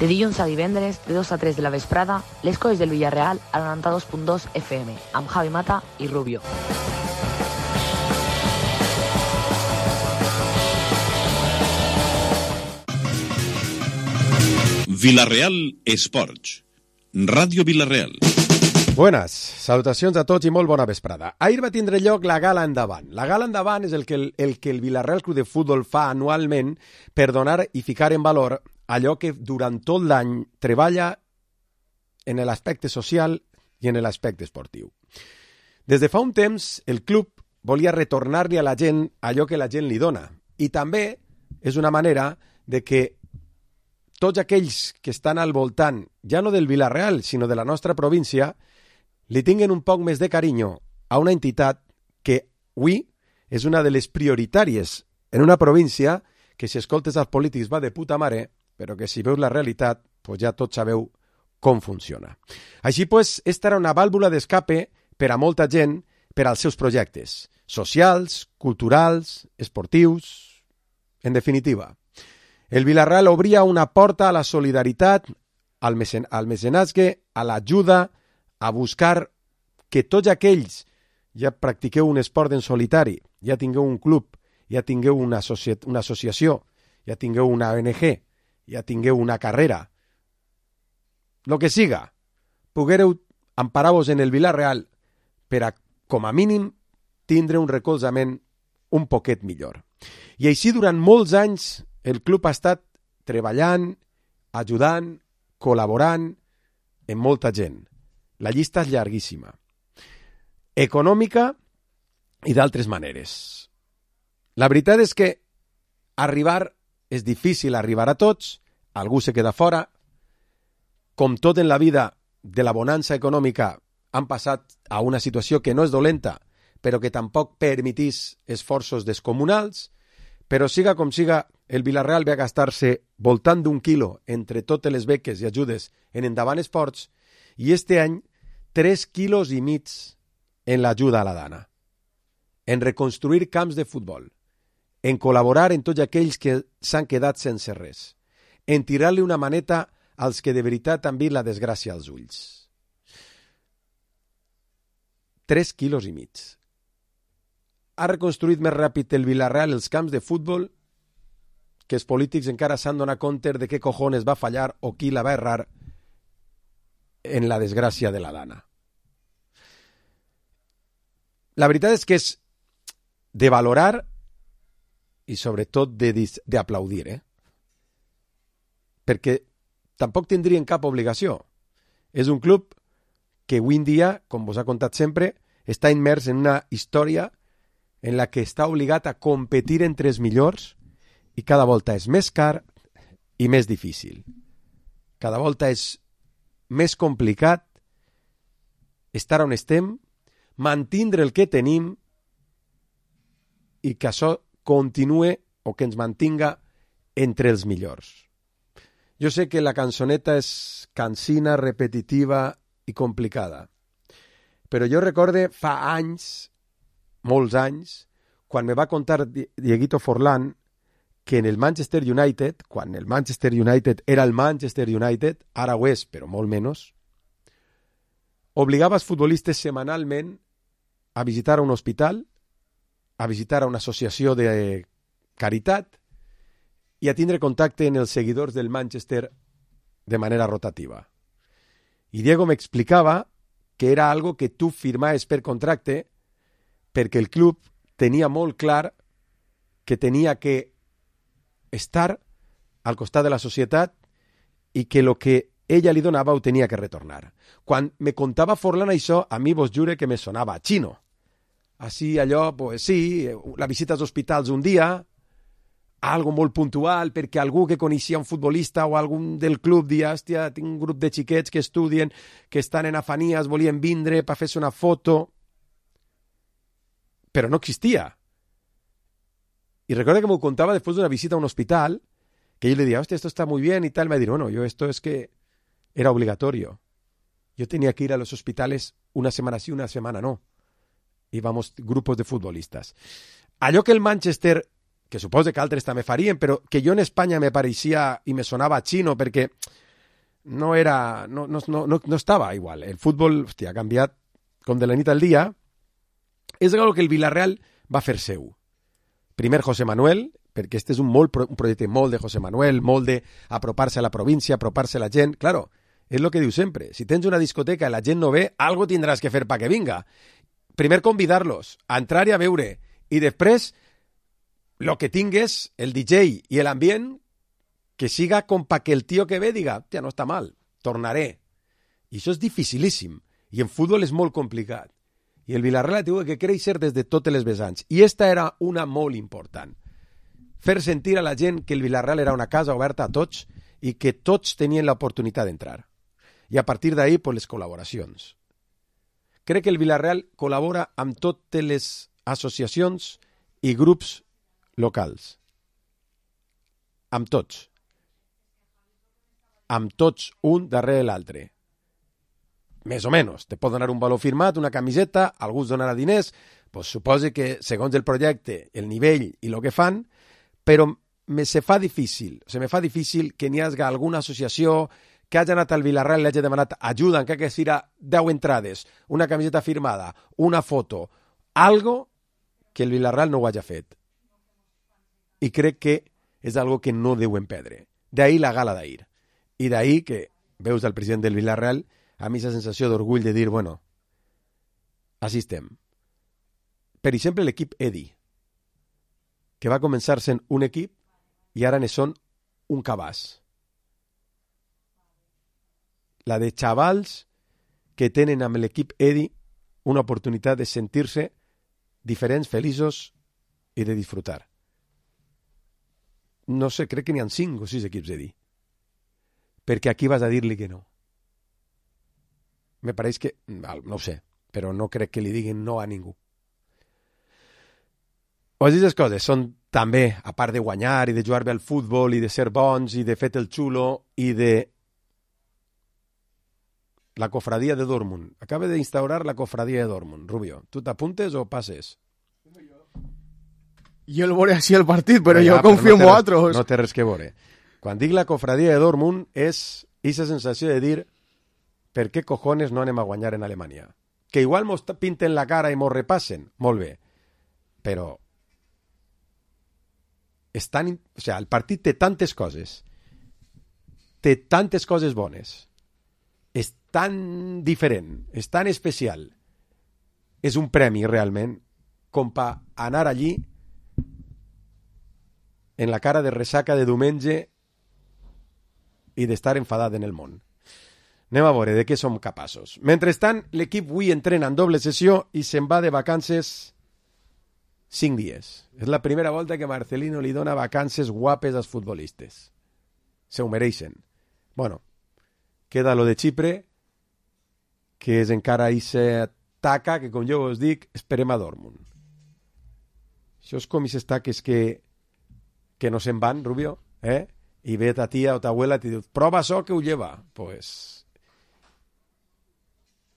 De dilluns a divendres, de 2 a 3 de la vesprada, les coses del Villarreal a 92.2 FM, amb Javi Mata i Rubio. Villarreal Esports, Ràdio Villarreal. Buenas, salutacions a tots i molt bona vesprada. Ahir va tindre lloc la Gala Endavant. La Gala Endavant és el que el Villarreal Club de Futbol fa anualment per donar i ficar en valor allò que durant tot l'any treballa en l'aspecte social i en l'aspecte esportiu. Des de fa un temps, el club volia retornar-li a la gent allò que la gent li dona. I també és una manera de que tots aquells que estan al voltant, ja no del Villarreal, sinó de la nostra província, li tinguen un poc més de carinyo a una entitat que avui és una de les prioritàries en una província que, si escoltes els polítics, va de puta mare, però que si veus la realitat, pues ja tots sabeu com funciona. Així, pues, esta era una vàlvula d'escape per a molta gent per als seus projectes socials, culturals, esportius, en definitiva. El Villarreal obria una porta a la solidaritat, al mecenatge, a l'ajuda, a buscar que tots aquells ja practiqueu un esport en solitari, ja tingueu un club, ja tingueu una associació, ja tingueu una ONG, ja tingueu una carrera, lo que siga, poguereu emparar-vos en el Villarreal per a, com a mínim, tindre un recolzament un poquet millor. I així, durant molts anys, el club ha estat treballant, ajudant, col·laborant amb molta gent. La llista és llarguíssima. Econòmica i d'altres maneres. La veritat és que arribar és difícil, arribar a tots, algú se queda fora. Com tot en la vida de la bonança econòmica, han passat a una situació que no és dolenta, però que tampoc permetís esforços descomunals. Però siga com siga, el Villarreal va gastar-se voltant d'1 quilo entre totes les beques i ajudes en Endavant Esports i este any 3,5 quilos en l'ajuda a la dana, en reconstruir camps de futbol, en col·laborar en tots aquells que s'han quedat sense res, en tirar-li una maneta als que de veritat han vist la desgràcia als ulls. 3,5 quilos. Ha reconstruït més ràpid el Villarreal els camps de futbol que els polítics encara s'han donat compte de què cojones va fallar o qui la va errar en la desgràcia de la dana. La veritat és que és de valorar i sobretot d'aplaudir, perquè tampoc tindrien cap obligació. És un club que avui en dia, com vos ha contat sempre, està immers en una història en la que està obligat a competir entre els millors i cada volta és més car i més difícil. Cada volta és més complicat estar on estem, mantindre el que tenim i que això continue o que ens mantinga entre els millors. Jo sé que la cançoneta és cansina, repetitiva i complicada, però jo recorde fa anys, molts anys, quan me va contar Dieguito Forlán que en el Manchester United, quan el Manchester United era el Manchester United, ara ho és, però molt menys, obligava els futbolistes setmanalment a visitar un hospital, a visitar una associació de caritat i a tindre contacte amb els seguidors del Manchester de manera rotativa. I Diego m'explicava que era algo que tu firmaves per contracte perquè el club tenia molt clar que tenia que estar al costat de la societat i que el que ella li donava ho tenia que retornar. Quan me contava Forlán això, a mi vos jure que me sonava xino. Així allò, pues sí, la visita als hospitals un dia, algo molt puntual, perquè algú que coneixia un futbolista o algun del club dia, hòstia, tinc un grup de xiquets que estudien, que estan en afanies, volien vindre per fer-se una foto, però no existia. Y recuerdo que me contaba después de una visita a un hospital, que yo le decía, hostia, esto está muy bien y tal. Me dijo, no, yo esto es que era obligatorio. Yo tenía que ir a los hospitales una semana sí, una semana no. Íbamos grupos de futbolistas. Allò que el Manchester, que suposo que altres també farien, però que jo en Espanya me pareixia i me sonava xino, perquè no estava igual. El futbol, hòstia, ha canviat com de la nit al dia. És algo que el Villarreal va fer seu. Primer José Manuel, perquè este és un projecte molt de José Manuel, molt d'apropar-se a la província, apropar-se a la gent. Claro, és el que diu sempre. Si tens una discoteca i la gent no ve, algo tindràs que fer perquè vinga. Primer convidar-los a entrar i a veure. I després, lo que tingues, el DJ i l'ambient, que siga com pa que el tio que ve diga, tia, no està mal, tornaré. I això és dificilíssim. I en futbol és molt complicat. I el Villarreal ha tingut que créixer des de totes les vessants. I esta era una molt important. Fer sentir a la gent que el Villarreal era una casa oberta a tots i que tots tenien l'oportunitat d'entrar. I a partir d'ahí, pues, les col·laboracions. Crec que el Villarreal col·labora amb totes les associacions i grups locals. Amb tots. Amb tots, un darrere l'altre. Més o menys. Te pot donar un valor firmat, una camiseta, algú us donarà diners, pues suposa que, segons el projecte, el nivell i el que fan, però me fa difícil que n'hi hagi alguna associació que hagi anat al Villarreal i hagi demanat ajuda, encara que sigui 10 entrades, una camiseta firmada, una foto, algo que el Villarreal no ho hagi fet. I crec que és algo que no deuen perdre. D'ahí la gala d'ahir. I d'ahí que veus del president del Villarreal a mi aquesta sensació d'orgull de dir, bueno, així estem. Per exemple, l'equip Edi, que va començar sent un equip i ara ne són un cabàs. La de xavals que tenen amb l'equip Edi una oportunitat de sentir-se diferents, feliços i de disfrutar. No sé, crec que n'hi ha 5 o 6 equips Edi. Perquè aquí vas a dir-li que no. Me pareix que, no ho sé, però no crec que li diguin no a ningú. O aquestes coses són també, a part de guanyar i de jugar bé al futbol i de ser bons i de fer el xulo i de la cofradia de Dortmund. Acaba d'instaurar la cofradia de Dortmund. Rubio, tu t'apuntes o passes? Jo el veuré així el partit, però jo confio en vosaltres. No té res que veure. Quan dic la cofradia de Dortmund és aquesta sensació de dir per què cojones no anem a guanyar en Alemanya? Que igual mos pinten la cara i mos repassen, molt bé, però el partit té tantes coses, té tantes coses bones, és tan diferent, és tan especial, és un premi realment, com per anar allí en la cara de ressaca de diumenge i d'estar enfadat en el món. Anem a veure de què som capaços. Mentrestant, l'equip avui entrena en doble sessió i se'n va de vacances 5 dies. És la primera volta que Marcelino li dona vacances guapes als futbolistes. Se ho mereixen. Bueno, queda lo de Xipre, que és encara ixe taca que, com jo us dic, esperem a Dortmund. Això és com aquestes taques que no se'n van, Rubio, i ve ta tia o ta abuela i te diu, prova això que ho lleva. Pues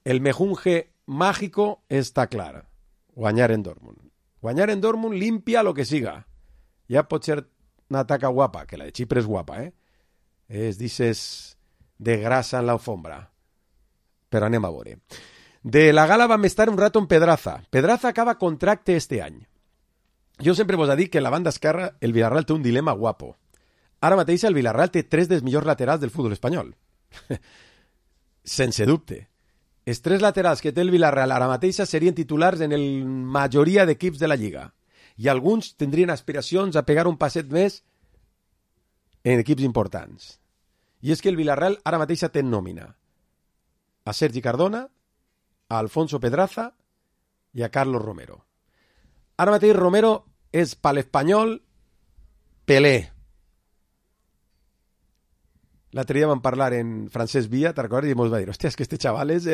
el mejunje mágico està clar. Guanyar en Dortmund. Guanyar en Dortmund limpia lo que siga. Ja pot ser una taca guapa, que la de Xipre és guapa, És dices de grasa en l'alfombra. Però anem a veure. De la gala vam estar un rato en Pedraza. Pedraza acaba contracte este any. Jo sempre vos he dit que en la banda esquerra el Villarreal té un dilema guapo. Ara mateix el Villarreal té 3 dels millors laterals del futbol espanyol. Sense dubte. Els 3 laterals que té el Villarreal ara mateix serien titulars en la majoria d'equips de la Lliga. I alguns tindrien aspiracions a pegar un passet més en equips importants. I és que el Villarreal ara mateix té en nòmina a Sergi Cardona, a Alfonso Pedraza i a Carlos Romero. Ara mateix Romero és per l'Espanyol Pelé. L'altre dia vam parlar en Francesc Villa, te'n recordes? I ens va dir, hòstia, és que este xaval és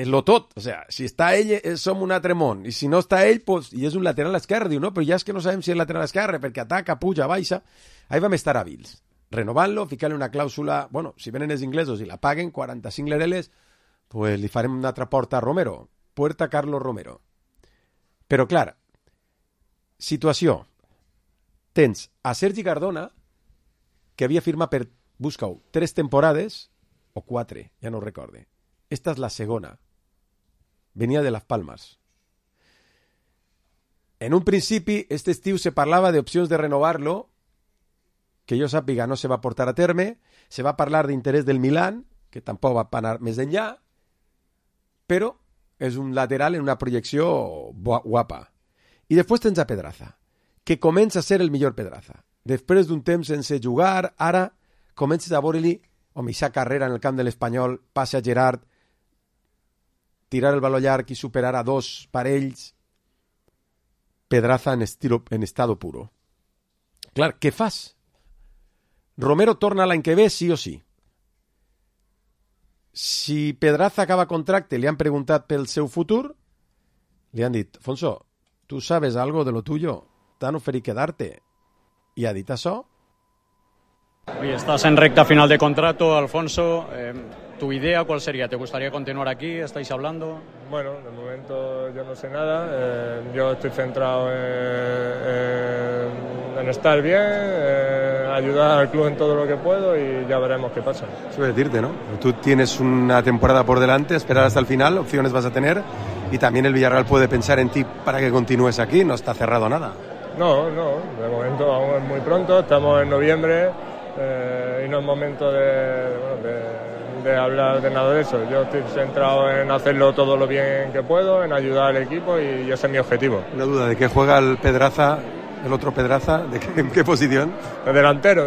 lo tot. O sea, si està ell, som un altre món. I si no està ell, pues, i és un lateral esquerre, diu, no, però ja és que no sabem si és lateral esquerre, perquè ataca, puja, baixa. Ahí vam estar hàbils. Renovant-lo, ficar-li una clàusula, bueno, si venen els inglesos i la paguen, 45 lereles, pues li farem una altra porta a Romero. Puerta Carlos Romero. Però, clar, situació. Tens a Sergi Cardona, que havia firmat per busca-ho, 3 temporades, o 4, ja no ho recorde. Esta és la segona. Venia de Las Palmas. En un principi, este estiu se parlava d'opcions de renovar-lo, que jo sàpiga no se va portar a terme, se va parlar d'interès del Milan, que tampoc va anar més enllà, però és un lateral en una projecció guapa. I després tens a Pedraza, que comença a ser el millor Pedraza. Després d'un temps sense jugar, ara comences a veure-li, home, aquesta carrera en el camp de l'Espanyol, passe a Gerard, tirar el baló llarg i superar a 2 parells, Pedraza en estado puro. Clar, què fas? Romero torna l'any que ve, sí o sí. Si Pedraza acaba contracte, li han preguntat pel seu futur, li han dit, Fonso, ¿tú sabes algo de lo tuyo? T'han oferit quedarte. I ha dit això? Oye, estás en recta final de contrato, Alfonso. ¿Tu idea cuál sería? ¿Te gustaría continuar aquí? ¿Estáis hablando? Bueno, de momento yo no sé nada. Yo estoy centrado en estar bien, ayudar al club en todo lo que puedo y ya veremos qué pasa. Eso es decirte, ¿no? Tú tienes una temporada por delante, esperar hasta el final, opciones vas a tener y también el Villarreal puede pensar en ti para que continúes aquí, no está cerrado nada. No, de momento aún es muy pronto, estamos en noviembre y no es momento de hablar de nada de eso. Yo estoy centrado en hacerlo todo lo bien que puedo, en ayudar al equipo y ese es mi objetivo. Una duda, ¿de qué juega el Pedraza, el otro Pedraza? ¿En qué posición? De delantero.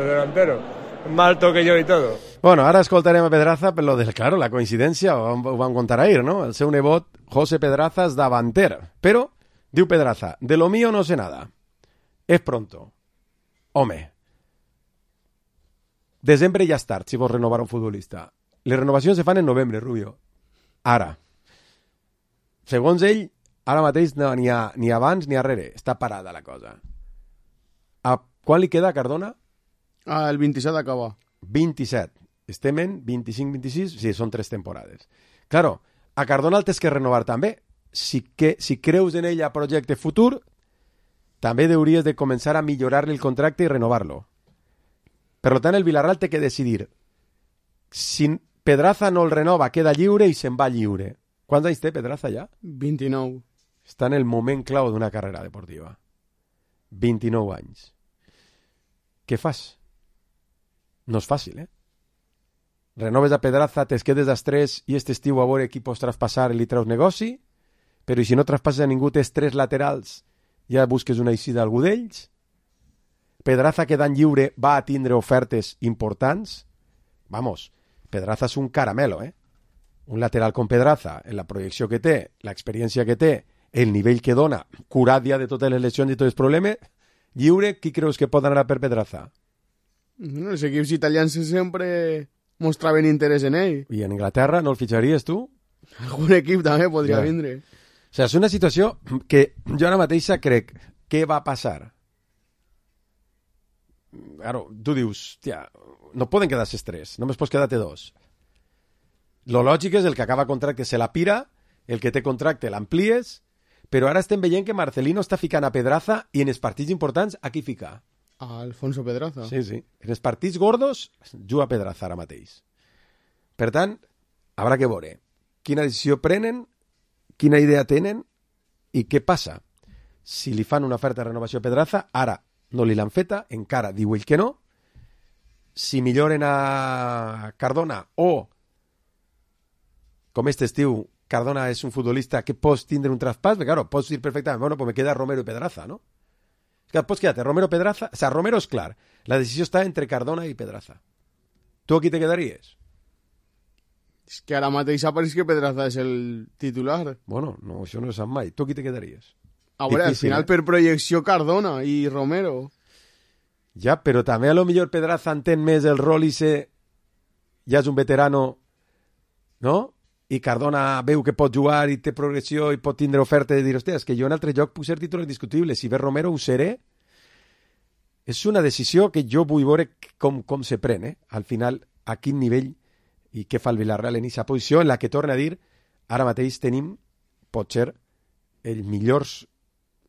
Más alto que yo y todo. Bueno, ara escoltarem a Pedraza per lo del, claro, la coincidència, ho vam contar ahir, no? El seu nebot, José Pedraza, és davanter. Però, diu Pedraza, de lo mío no sé nada. És pronto. Home, desembre ja és tard si vols renovar un futbolista. Les renovacions se fan en novembre, Rubio. Ara. Segons ell, ara mateix no, ni abans ni arrere. Està parada la cosa. A quan li queda a Cardona? El 27 acaba. 27. Estem en 25-26? Sí, són 3 temporades. Claro, a Cardona el tens que renovar també. Si creus en ell a projecte futur, també hauries de començar a millorar-li el contracte i renovar-lo. Per tant, el Villarreal té que decidir. Si Pedraza no el renova, queda lliure i se'n va lliure. Quants anys té Pedraza ja? 29. Està en el moment clau d'una carrera deportiva. 29 anys. Què fas? No és fàcil, eh? Renoves a Pedraza, te quedes als 3 i este estiu a veure qui pots traspassar i li treus negoci, però si no traspasses a ningú, tens 3 laterals, ja busques una eixida a algú d'ells. Pedraza quedant lliure va a tindre ofertes importants. Vamos, Pedraza és un caramelo, eh? Un lateral con Pedraza, en la projecció que té, l'experiència que té, el nivell que dona, curat ja de totes les lesions i tots els problemes, lliure, qui creus que pot anar per Pedraza? Bueno, els equips italians sempre mostraven interès en ell. I en Inglaterra no el fitxaries tu? Algun equip també podria vindre. O sigui, és una situació que jo ara mateixa crec, què va passar? Claro, tu dius, tia, no poden quedar-se 3, només pots quedar-te 2. Lo lògic és el que acaba contracte se la pira, el que té contracte l'amplies, però ara estem veient que Marcelino està ficant a Pedraza i en els partits importants a qui fica? A Alfonso Pedraza. Sí. En els partits gordos juga Pedraza ara mateix. Per tant, haurà que veure quina decisió prenen, quina idea tenen i què passa. Si li fan una oferta de renovació a Pedraza, ara no li l'han feta, encara diu ell que no. Si milloren a Cardona o, com este estiu, Cardona és un futbolista que pots tindre un traspàs, perquè claro, pots dir perfectament, bueno, pues me queda Romero i Pedraza, ¿no? Que pots quedar-te Romero Pedraza, o sea, Romero és clar, la decisió està entre Cardona i Pedraza. Tu aquí te quedaries? És que ara mateix apareix que Pedraza és el titular. Bueno, no, això no se sap mai. Tu aquí te quedaries? A veure, al final per projecció Cardona i Romero. Ja, però també a lo millor Pedraza entén més el rol i ja és un veterano, no? I Cardona veu que pot jugar i té progressió i pot tindre oferta de dir, hòstia, és que jo en altre joc puc ser titular indiscutible. Si ve Romero ho seré. És una decisió que jo vull veure com se pren, eh? Al final, a quin nivell i què fa el Villarreal en aquesta posició en la que, torna a dir, ara mateix tenim, pot ser, els millors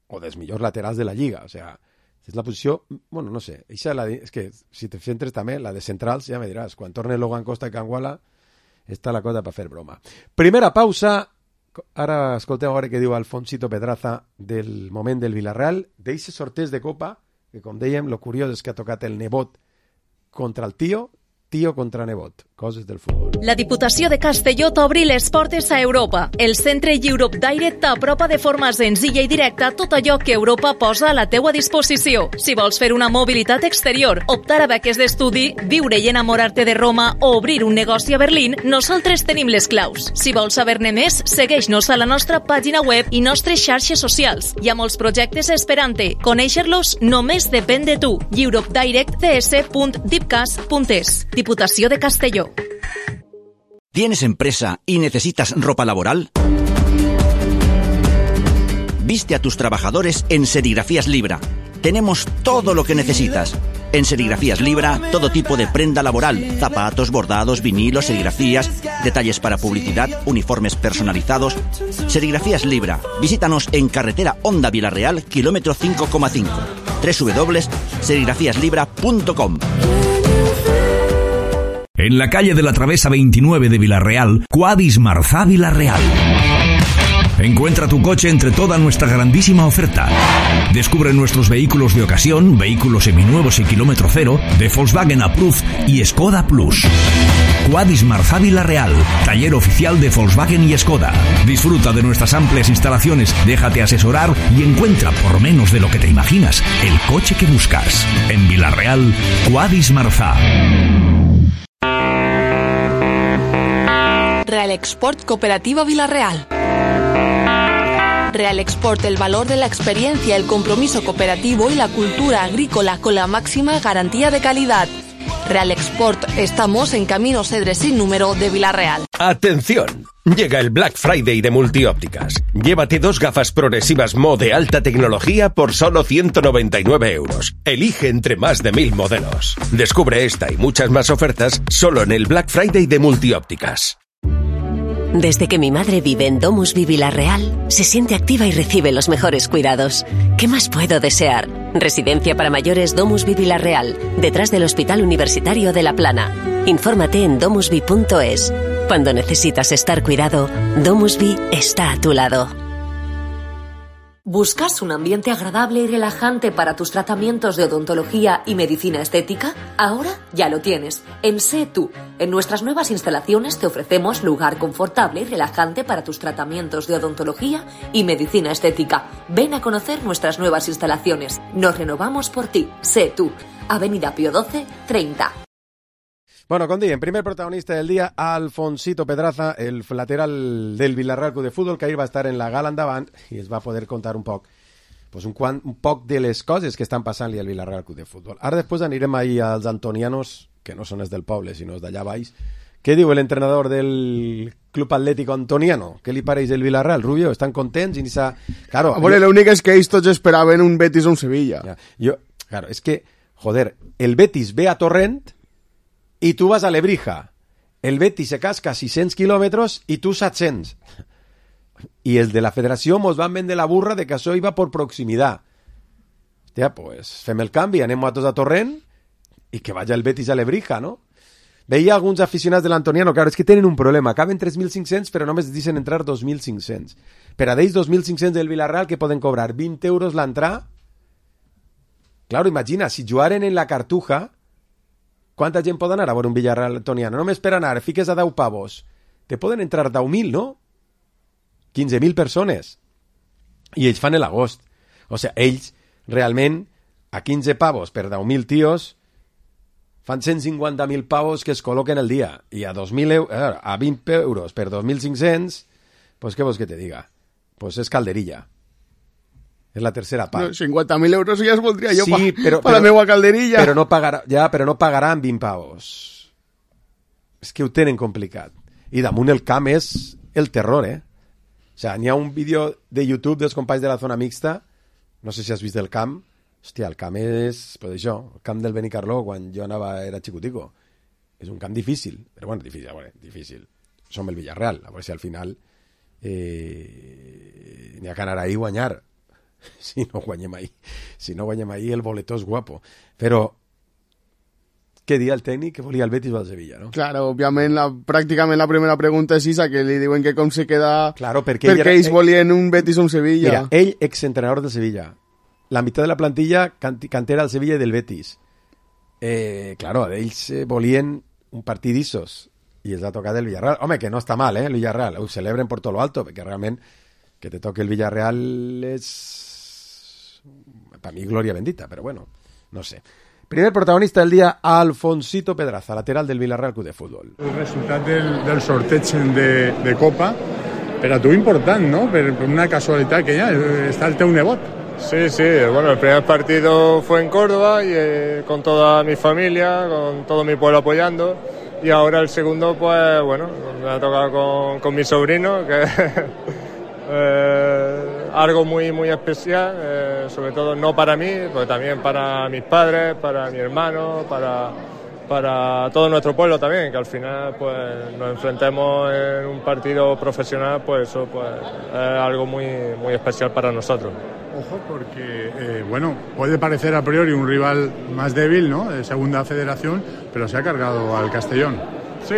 o dels millors laterals de la Lliga. O sigui, És la posició, bueno, no sé, és que si te centres també, la de centrals, ja me diràs, quan torne Logan Costa i Canguala, està la cosa per fer broma. Primera pausa, ara escolteu a veure què diu Alfonsito Pedraza del moment del Villarreal, d'eixes sorteig de Copa, que com dèiem, lo curiós és que ha tocat el nebot contra el tio contra nebot, coses del futbol. La Diputació de Castelló t'obri les portes a Europa. El centre Europe Direct t'apropa de forma senzilla i directa tot allò que Europa posa a la teua disposició. Si vols fer una mobilitat exterior, optar a beques d'estudi, viure i enamorar-te de Roma o obrir un negoci a Berlín, nosaltres tenim les claus. Si vols saber-ne més, segueix-nos a la nostra pàgina web i nostres xarxes socials. Hi ha molts projectes esperant-te. Conèixer-los només depèn de tu. europedirectds.dipcas.es. Diputació de Castelló. ¿Tienes empresa y necesitas ropa laboral? Viste a tus trabajadores en Serigrafías Libra. Tenemos todo lo que necesitas. En Serigrafías Libra, todo tipo de prenda laboral, zapatos, bordados, vinilos, serigrafías, detalles para publicidad, uniformes personalizados. Serigrafías Libra. Visítanos en carretera Honda Villarreal, kilómetro 5,5. www.serigrafíaslibra.com. En la calle de la Travesa 29 de Villarreal, Quadis Marzá Villarreal. Encuentra tu coche entre toda nuestra grandísima oferta. Descubre nuestros vehículos de ocasión, vehículos seminuevos y kilómetro cero, de Volkswagen Approved y Skoda Plus. Quadis Marzá Villarreal, taller oficial de Volkswagen y Skoda. Disfruta de nuestras amplias instalaciones, déjate asesorar y encuentra por menos de lo que te imaginas el coche que buscas. En Villarreal, Quadis Marzá. Real Export Cooperativa Villarreal. Real Export, el valor de la experiencia, el compromiso cooperativo y la cultura agrícola con la máxima garantía de calidad. Real Export, estamos en Camino Cedres sin número de Villarreal. ¡Atención! Llega el Black Friday de Multiópticas. Llévate 2 gafas progresivas Mo de alta tecnología por solo 199 euros. Elige entre más de 1000 modelos. Descubre esta y muchas más ofertas solo en el Black Friday de Multiópticas. Desde que mi madre vive en DomusVi Villarreal, se siente activa y recibe los mejores cuidados. ¿Qué más puedo desear? Residencia para mayores DomusVi Villarreal, detrás del Hospital Universitario de La Plana. Infórmate en domusvi.es. Cuando necesitas estar cuidado, DomusVi está a tu lado. ¿Buscas un ambiente agradable y relajante para tus tratamientos de odontología y medicina estética? Ahora ya lo tienes. En Sé Tú. En nuestras nuevas instalaciones te ofrecemos lugar confortable y relajante para tus tratamientos de odontología y medicina estética. Ven a conocer nuestras nuevas instalaciones. Nos renovamos por ti. Sé Tú. Avenida Pío XII, 30. Bueno, com diem, primer protagonista del dia, Alfonsito Pedraza, el lateral del Villarreal Club de Futbol, que ahir va estar en la gala endavant i es va poder contar un poc de les coses que estan passant-li al Villarreal Club de Futbol. Ara després anirem ahir als antonianos, que no són els del poble, sinó els d'allà baix. Què diu l'entrenador del Club Atlético Antoniano? Què li pareix el Villarreal? Rubio, estan contents? Claro, bueno, l'únic és que ells tots esperaven un Betis o un Sevilla. Claro, és que, joder, el Betis ve a Torrent y tú vas a Lebrija. El Betis se casca 600 kilómetros y tú 700. Y el de la federació mos van vendre la burra de que això iba por proximitat. Hòstia, pues fem el canvi, anem a tots a Torrent i que vaya el Betis a Lebrija, no? Veia alguns aficionats de l'Antoniano, claro, és que tenen un problema, caben 3.500 però només deixen entrar 2.500. Per a d'ells 2.500 del Villarreal que poden cobrar 20 euros l'entrada. Claro, imagina, si jugaren en la Cartuja, quanta gent pot anar a veure un Villarreal Antoniano? Només per anar, fiques a 10 pavos. Te poden entrar 10.000, no? 15.000 persones. I ells fan l'agost. O sigui, ells realment a 15 pavos per 10.000 tios fan 150.000 pavos que es col·loquen el dia. I a 20 euros per 2.500, pues què vols que te diga? Pues és calderilla. És la tercera part. No, 50.000 euros ja es voldria jo sí, per la meva calderilla. Però no pagaran 20 pavos. És que ho tenen complicat. I damunt el camp és el terror, O sigui, n'hi ha un vídeo de YouTube dels companys de la zona mixta, no sé si has vist el camp. Hòstia, el camp és, pues això, el camp del Benicarló, quan jo era xicutico. És un camp difícil, però bueno, difícil. Som el Villarreal, a veure si al final n'hi ha que anar ahí i guanyar. si no guanyem ahir. Si no guanyem ahir, el boletó és guapo. Però què dia el tècnic que volia el Betis o el Sevilla, no? Claro, òbviament, pràcticament la primera pregunta és Isa, que li diuen que com se queda... Claro, perquè ells volien un Betis o un Sevilla. Mira, ell, exentrenador del Sevilla. La meitat de la plantilla cantera del Sevilla i del Betis. Claro, ells volien un partit d'issos i els ha tocat el Villarreal. Home, que no està mal, el Villarreal. Ho celebren por todo lo alto, perquè realment que te toque el Villarreal és... Per mi, glòria bendita, però bueno, no sé. Primer protagonista del dia, Alfonsito Pedraza, lateral del Villarreal Club de Futbol. El resultat del sorteig de Copa, per a tu important, ¿no? Per una casualitat que ja està el teu nebot. Sí, bueno, el primer partido fue en Córdoba y con toda mi familia, con todo mi pueblo apoyando, y ahora el segundo, pues bueno, me ha tocado con mi sobrino, que algo muy muy especial, sobre todo no para mí, pero también para mis padres, para mi hermano, para todo nuestro pueblo también, que al final pues nos enfrentemos en un partido profesional, pues eso pues es algo muy muy especial para nosotros. Ojo, porque bueno, puede parecer a priori un rival más débil, ¿no? De segunda federación, pero se ha cargado al Castellón. Sí,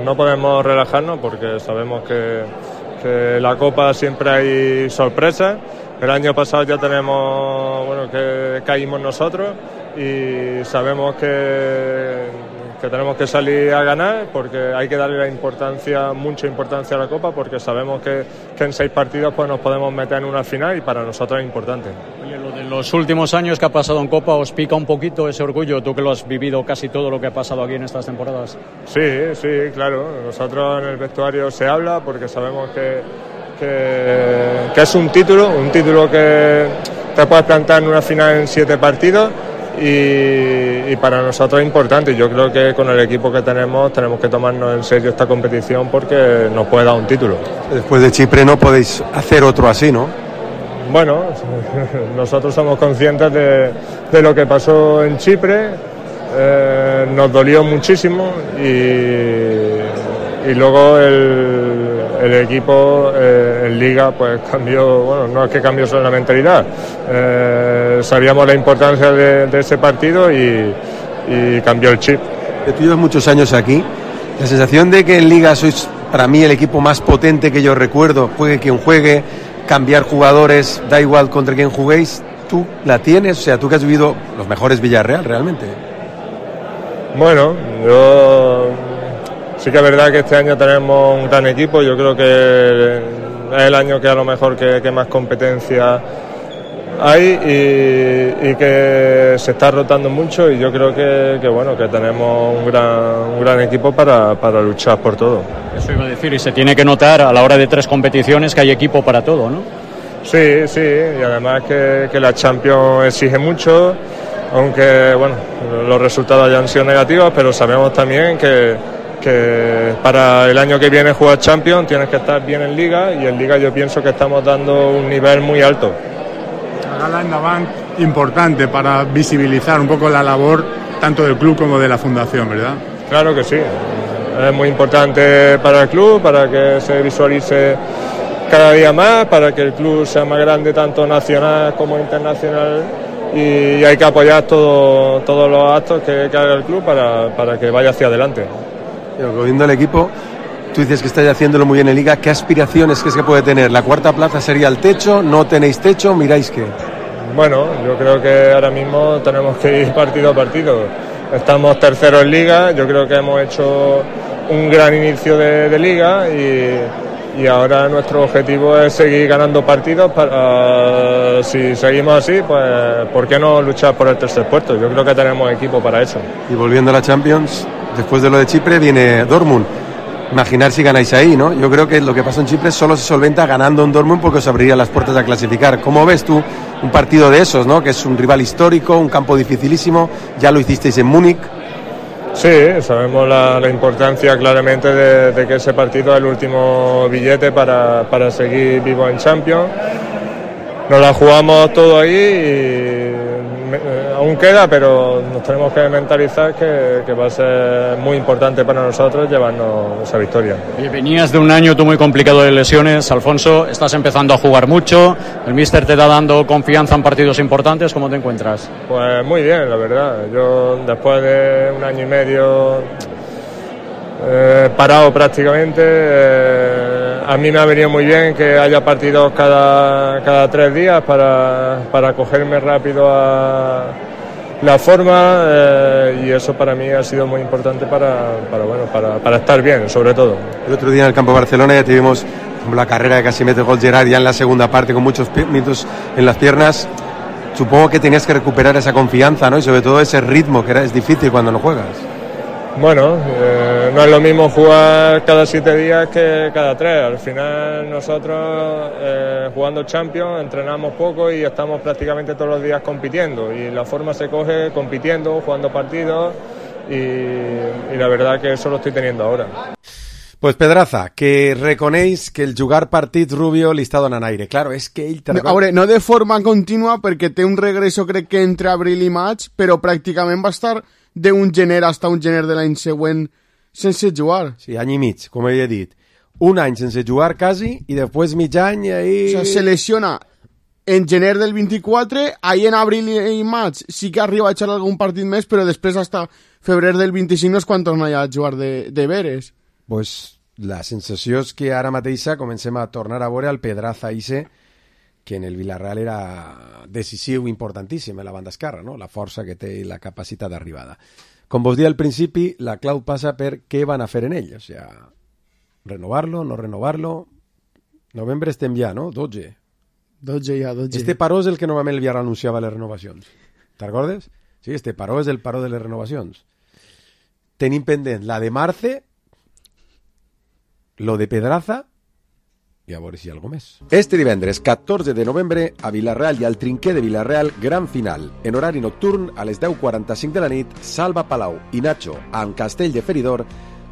no podemos relajarnos porque sabemos que la Copa siempre hay sorpresas. El año pasado ya tenemos, bueno, que caímos nosotros y sabemos que tenemos que salir a ganar porque hay que darle mucha importancia a la Copa porque sabemos que en 6 partidos pues nos podemos meter en una final y para nosotros es importante. Oye, lo de los últimos años que ha pasado en Copa, ¿os pica un poquito ese orgullo? Tú que lo has vivido casi todo lo que ha pasado aquí en estas temporadas. Sí, claro. Nosotros en el vestuario se habla porque sabemos que es un título que te puedes plantar en una final en 7 partidos y para nosotros es importante. Yo creo que con el equipo que tenemos que tomarnos en serio esta competición porque nos puede dar un título. Después de Chipre no podéis hacer otro así, ¿no? Bueno, nosotros somos conscientes de lo que pasó en Chipre, nos dolió muchísimo y luego el equipo en Liga pues cambió, bueno, no es que cambió solo la mentalidad, sabíamos la importancia de ese partido y cambió el chip. Tú llevas muchos años aquí, la sensación de que en Liga sois para mí el equipo más potente que yo recuerdo, juegue quien juegue, cambiar jugadores, da igual contra quién juguéis, ¿tú la tienes? O sea, tú que has vivido los mejores Villarreal realmente. Bueno, yo sí que es verdad que este año tenemos un gran equipo, yo creo que es el año que a lo mejor que más competencia hay y que se está rotando mucho y yo creo que bueno, que tenemos un gran equipo para luchar por todo. Eso iba a decir, y se tiene que notar a la hora de 3 competiciones que hay equipo para todo, ¿no? Sí, y además que la Champions exige mucho, aunque bueno, los resultados hayan sido negativos, pero sabemos también que para el año que viene jugar Champions tienes que estar bien en Liga y en Liga yo pienso que estamos dando un nivel muy alto. La gala endavant importante para visibilizar un poco la labor tanto del club como de la fundación, ¿verdad? Claro que sí, es muy importante para el club, para que se visualice cada día más, para que el club sea más grande tanto nacional como internacional y hay que apoyar todos los actos que haga el club para que vaya hacia adelante. Viendo el equipo, tú dices que estáis haciéndolo muy bien en Liga, ¿qué aspiraciones crees que puede tener? ¿La 4ª plaza sería el techo? ¿No tenéis techo? ¿Miráis qué? Bueno, yo creo que ahora mismo tenemos que ir partido a partido. Estamos terceros en Liga, yo creo que hemos hecho un gran inicio de Liga y ahora nuestro objetivo es seguir ganando partidos para, si seguimos así, pues ¿por qué no luchar por el tercer puesto? Yo creo que tenemos equipo para eso. Y volviendo a la Champions, después de lo de Chipre viene Dortmund. Imaginar si ganáis ahí, ¿no? Yo creo que lo que pasó en Chipre solo se solventa ganando en Dortmund porque os abriría las puertas a clasificar. ¿Cómo ves tú un partido de esos, ¿no? Que es un rival histórico, un campo dificilísimo, ya lo hicisteis en Múnich. Sí, sabemos la importancia claramente de que ese partido es el último billete para seguir vivos en Champions. Nos la jugamos todo ahí y aún queda, pero nos tenemos que mentalizar que va a ser muy importante para nosotros llevarnos esa victoria. Y venías de un año tú muy complicado de lesiones, Alfonso, estás empezando a jugar mucho, el míster te está dando confianza en partidos importantes, ¿cómo te encuentras? Pues muy bien, la verdad. Yo después de un año y medio parado prácticamente, a mí me ha venido muy bien que haya partidos cada 3 días para cogerme rápido a la forma, y eso para mí ha sido muy importante para estar bien, sobre todo. El otro día en el campo de Barcelona ya tuvimos la carrera de casi mete gol Gerard ya en la segunda parte con muchos minutos en las piernas. Supongo que tenías que recuperar esa confianza, ¿no? Y sobre todo ese ritmo que es difícil cuando no juegas. Bueno, no es lo mismo jugar cada 7 días que cada 3. Al final nosotros jugando Champions entrenamos poco y estamos prácticamente todos los días compitiendo. Y la forma se coge compitiendo, jugando partidos y la verdad que eso lo estoy teniendo ahora. Pues Pedraza, que reconeix que el jugar partit Rubio li està donant aire. Claro, és que ell... A veure, no de forma contínua perquè té un regreso crec que entre abril i maig, però pràcticament va estar d'un gener fins a un gener de l'any següent sense jugar. Sí, any i mig, com he dit. Un any sense jugar quasi i després mig any ahí... O sea, se lesiona en gener del 24, ahí en abril i maig sí que arriba a echar algun partit més, però després hasta febrer del 25 no és quan torna a jugar de veres. Pues la sensació és que ara mateixa comencem a tornar a veure el Pedraza Ise, que en el Villarreal era decisiu, importantíssim en la banda esquerra, no? La força que té i la capacitat d'arribada. Com vos deia al principi, la clau passa per què van a fer en ell, o sea, renovar-lo, no renovar-lo. Novembre estem ja, no? 12 ja. Este paró és el que normalment el Villarreal anunciava les renovacions. Te'n recordes? Sí, este paró és el paró de les renovacions. Tenim pendent la de Marce, lo de Pedraza i a veure si hi ha alguna més. Este divendres 14 de novembre a Villarreal i al Trinquer de Villarreal, gran final. En horari nocturn, a les 10:45 de la nit, Salva Palau i Nacho amb Castell de Feridor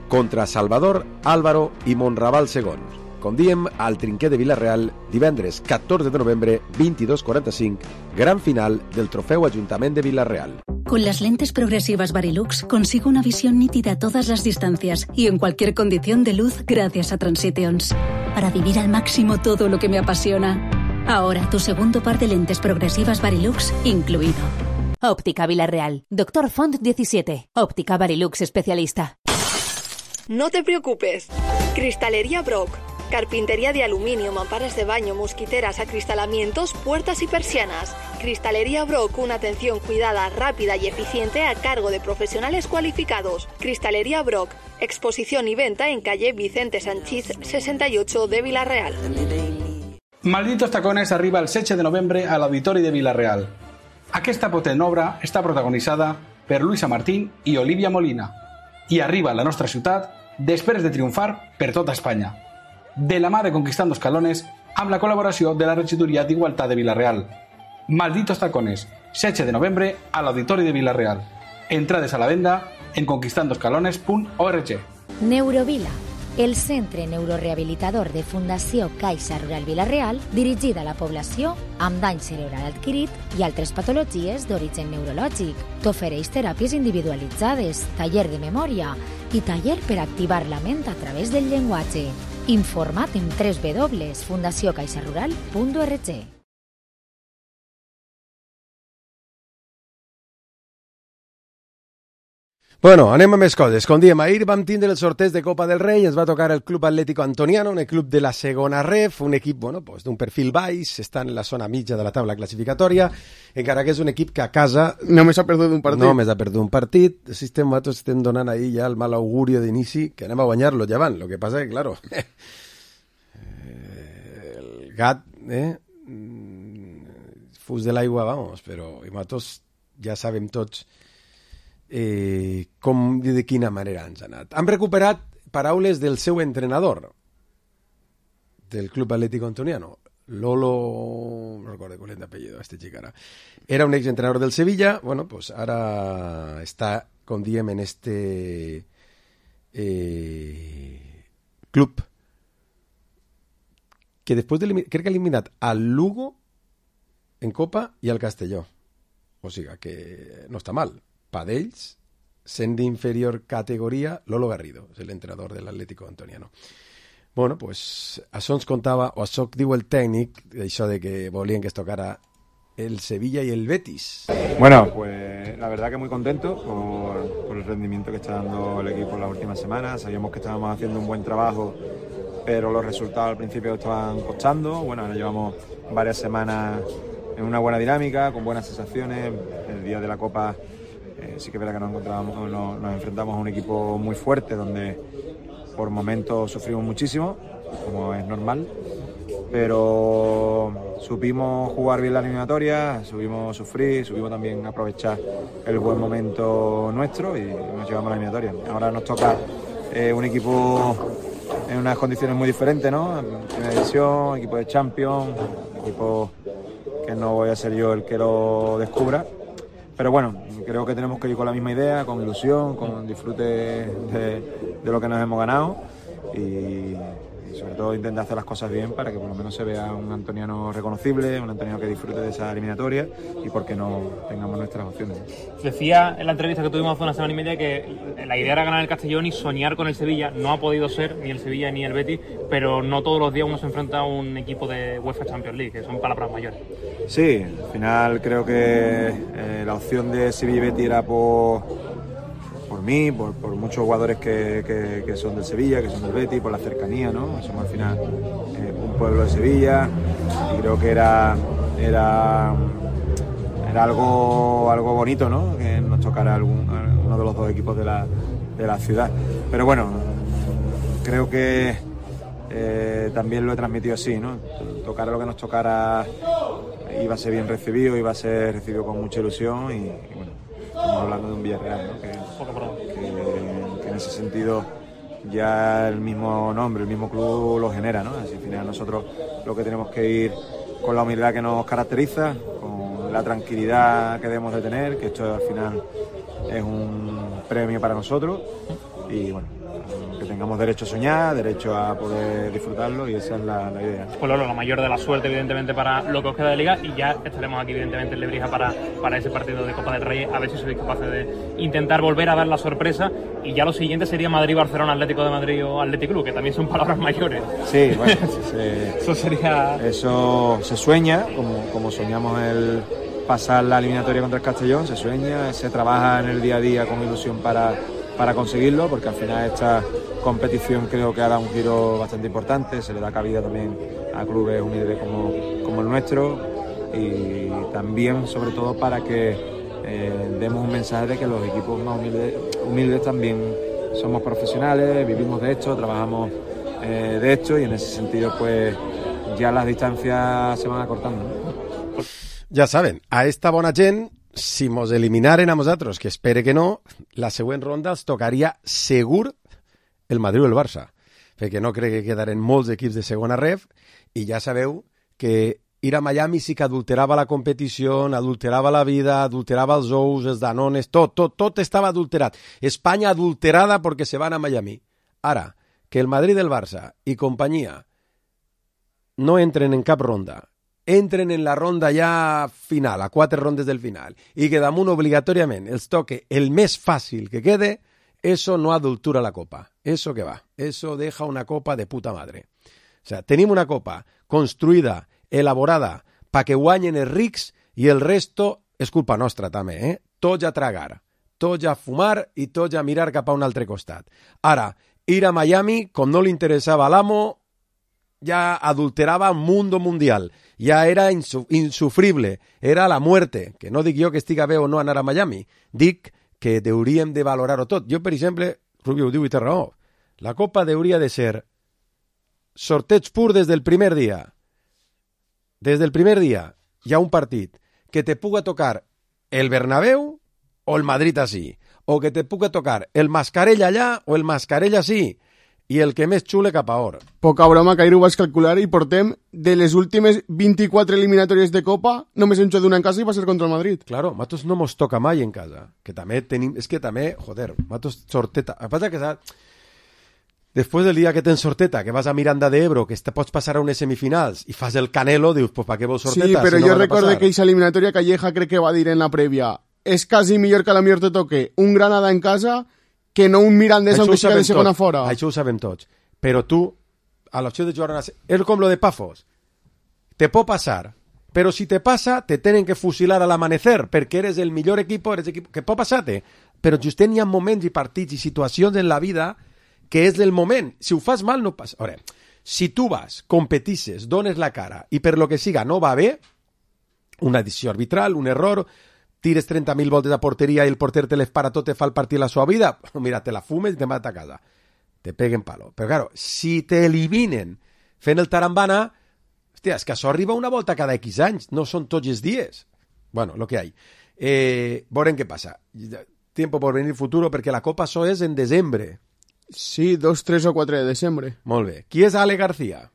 contra Salvador, Álvaro i Monraval II. Com diem, al Trinquer de Villarreal, divendres 14 de novembre, 22:45, gran final del Trofeu Ajuntament de Villarreal. Con las lentes progresivas Varilux consigo una visión nítida a todas las distancias y en cualquier condición de luz gracias a Transitions. Para vivir al máximo todo lo que me apasiona. Ahora tu segundo par de lentes progresivas Varilux incluido. Óptica Villarreal. Dr. Font 17. Óptica Varilux especialista. No te preocupes. Cristalería Brock. Carpintería de aluminio, mamparas de baño, mosquiteras, acristalamientos, puertas y persianas. Cristalería Brock, una atención cuidada, rápida y eficiente a cargo de profesionales cualificados. Cristalería Brock, exposición y venta en calle Vicente Sanchís 68 de Villarreal. Malditos tacones arriba el 16 de novembre a l'Auditori de Villarreal. Aquesta potent obra està protagonitzada per Luisa Martín i Olivia Molina i arriba a la nostra ciutat després de triomfar per tota Espanya. De la mà de Conquistando Escalones, amb la col·laboració de la Regidoria d'Igualtat de Villarreal. Malditos tacones, 16 de novembre a l'Auditori de Villarreal. Entrades a la venda en conquistandoscalones.org. Neurovila, el centre neurorehabilitador de Fundació Caixa Rural Villarreal, dirigida a la població amb dany cerebral adquirit i altres patologies d'origen neurològic. T'ofereix teràpies individualitzades, taller de memòria i taller per activar la ment a través del llenguatge. Informa't en www.fundaciocaixarural.org. Bueno, anem a més coses. Com diem, ahir vam tindre el sorteig de Copa del Rei, ens va tocar el Club Atlético Antoniano, un club de la segona ref, un equip d'un perfil baix, està en la zona mitja de la taula classificatòria, encara que és un equip que a casa... Només ha perdut un partit. Només ha perdut un partit. Nosaltres estem donant ahir ja el mal augurio d'inici, que anem a guanyar-lo llevant. Lo que passa que, claro, el gat, fus de l'aigua, vamos, però nosaltres ja sabem tots com i de quina manera ens ha anat. Hem recuperat paraules del seu entrenador del Club Atlético Antoniano, Lolo, no recordo cuál es el apellido, este chico ara. Era un exentrenador del Sevilla, bueno, pues ara està, com diem, en este club que després de crec que ha eliminat al Lugo en Copa i al Castelló. O sigui que no està mal. Pa d'ells, sent d'inferior categoria, Lolo Garrido, és l'entrenador de l'Atlético Antoniano. Bueno, pues això ens contava, o això diu el tècnic, això de que volien que es tocara el Sevilla y el Betis. Bueno, pues la verdad que muy contento por el rendimiento que está dando el equipo en las últimas semanas. Sabíamos que estábamos haciendo un buen trabajo, pero los resultados al principio estaban costando. Bueno, ahora llevamos varias semanas en una buena dinámica, con buenas sensaciones. El día de la Copa sí que es verdad que nos enfrentamos a un equipo muy fuerte, donde por momentos sufrimos muchísimo, como es normal, pero supimos jugar bien la eliminatoria, supimos sufrir, supimos también aprovechar el buen momento nuestro y nos llevamos a la eliminatoria. Ahora nos toca un equipo en unas condiciones muy diferentes, ¿no? Primera división, equipo de Champions, equipo que no voy a ser yo el que lo descubra, pero bueno, creo que tenemos que ir con la misma idea, con ilusión, con disfrute de lo que nos hemos ganado y sobre todo intentar hacer las cosas bien para que por lo menos se vea un antoniano reconocible, un antoniano que disfrute de esa eliminatoria y porque no tengamos nuestras opciones. Decía en la entrevista que tuvimos hace una semana y media que la idea era ganar el Castellón y soñar con el Sevilla. No ha podido ser ni el Sevilla ni el Betis, pero no todos los días uno se enfrenta a un equipo de UEFA Champions League, que son palabras mayores. Sí, al final creo que la opción de Sevilla y Betis era por mí, por muchos jugadores que son del Sevilla, que son del Betis, por la cercanía, ¿no? Somos al final un pueblo de Sevilla y creo que era algo bonito, ¿no? Que nos tocara uno de los dos equipos de la ciudad. Pero bueno, creo que también lo he transmitido así, ¿no? Tocara lo que nos tocara, iba a ser bien recibido, iba a ser recibido con mucha ilusión y bueno, estamos hablando de un Villarreal, ¿no? que en ese sentido ya el mismo nombre, el mismo club lo genera, ¿no? Así al final nosotros lo que tenemos que ir con la humildad que nos caracteriza, con la tranquilidad que debemos de tener, que esto al final es un premio para nosotros y bueno, que tengamos derecho a soñar, derecho a poder disfrutarlo y esa es la idea. Pues Lolo, la mayor de la suerte evidentemente para lo que os queda de Liga y ya estaremos aquí evidentemente en Lebrija para ese partido de Copa del Rey, a ver si sois capaces de intentar volver a dar la sorpresa y ya lo siguiente sería Madrid-Barcelona, Atlético de Madrid o Athletic Club, que también son palabras mayores. Sí, bueno, eso se sueña, como soñamos el pasar la eliminatoria contra el Castellón, se sueña, se trabaja en el día a día con ilusión para conseguirlo, porque al final esta competición creo que ha dado un giro bastante importante, se le da cabida también a clubes humildes como el nuestro y también sobre todo para que demos un mensaje de que los equipos más humildes también somos profesionales, vivimos de esto, trabajamos de esto y en ese sentido pues ya las distancias se van acortando, ¿no? Ja saben, a esta bona gent, si mos eliminaren a nosaltres, que espere que no, la següent ronda els tocaria segur el Madrid o el Barça, perquè no crec que quedaren molts equips de segona ref i ja sabeu que ir a Miami sí que adulterava la competició, adulterava la vida, adulterava els ous, els danones, tot estava adulterat. Espanya adulterada perquè se van a Miami. Ara, que el Madrid, el Barça i companyia no entren en cap ronda, entren en la ronda ja final, a 4 rondes del final, i que damunt obligatòriament els toque el més fàcil que quede, eso no adultura la copa. Eso que va. Eso deja una copa de puta madre. O sea, tenim una copa construïda, elaborada, pa que guanyen els rics i el resto és culpa nostra també, eh? Tots a tragar, tots a fumar i tots a mirar cap a un altre costat. Ara, ir a Miami, com no li interessava a l'amo, ya adulteraba mundo mundial, ya era insufrible, era la muerte, que no dic jo que estiga bé o no anar a Miami, dic que hauríem de valorar-ho tot. Jo, per exemple, Rubio ho diu i té raó, la Copa hauria de ser sorteig pur des del primer dia. Des del primer dia hi ha un partit que te puga tocar el Bernabéu o el Madrid així, o que te puga tocar el Mascarell allà o el Mascarell així, i el que més xule cap a or. Poca broma, Cairo, ho vaig calcular i portem de les últimes 24 eliminatòries de Copa, només hem xutat una en casa i va ser contra el Madrid. Claro, matos no mos toca mai en casa, que també tenim, és que també, joder, matos sorteta. El que passa que Després del dia que tens sorteta, que vas a Miranda de Ebro, que te pots passar a unes semifinals i fas el Canelo, dius, pues ¿para qué vols sorteta? Sí, però si no jo recordo que aquesta eliminatòria Calleja crec que va dir en la prèvia és quasi millor que a la millor te toque un Granada en casa que no un Mirandés aunque siga de segona fora. Això ho sabem tots. Però tu, a l'opció de jugar és com lo de Pafos. Te pot passar, però si te passa, te tenen que fusilar a l'amanecer, perquè eres el millor equip, que pot passar-te. Però just hi ha moments i partits i situacions en la vida que és del moment. Si ho fas mal, no passa. Ara, si tu vas, competisses, dones la cara i per lo que siga no va bé, una decisió arbitral, un error, tires 30.000 voltes a porteria i el porter te les para tot, te fa el partit la sua vida, mira, te la fumes i te mata a casa. Te peguen palo. Però, claro, si te eliminen fent el tarambana, hòstia, és que això arriba una volta cada X anys, no són tots els dies. Bueno, lo que hay. Veurem què passa. Tiempo por venir futuro, perquè la Copa això és en desembre. Sí, 2, 3 o 4 de desembre. Molt bé. Qui és Ale García?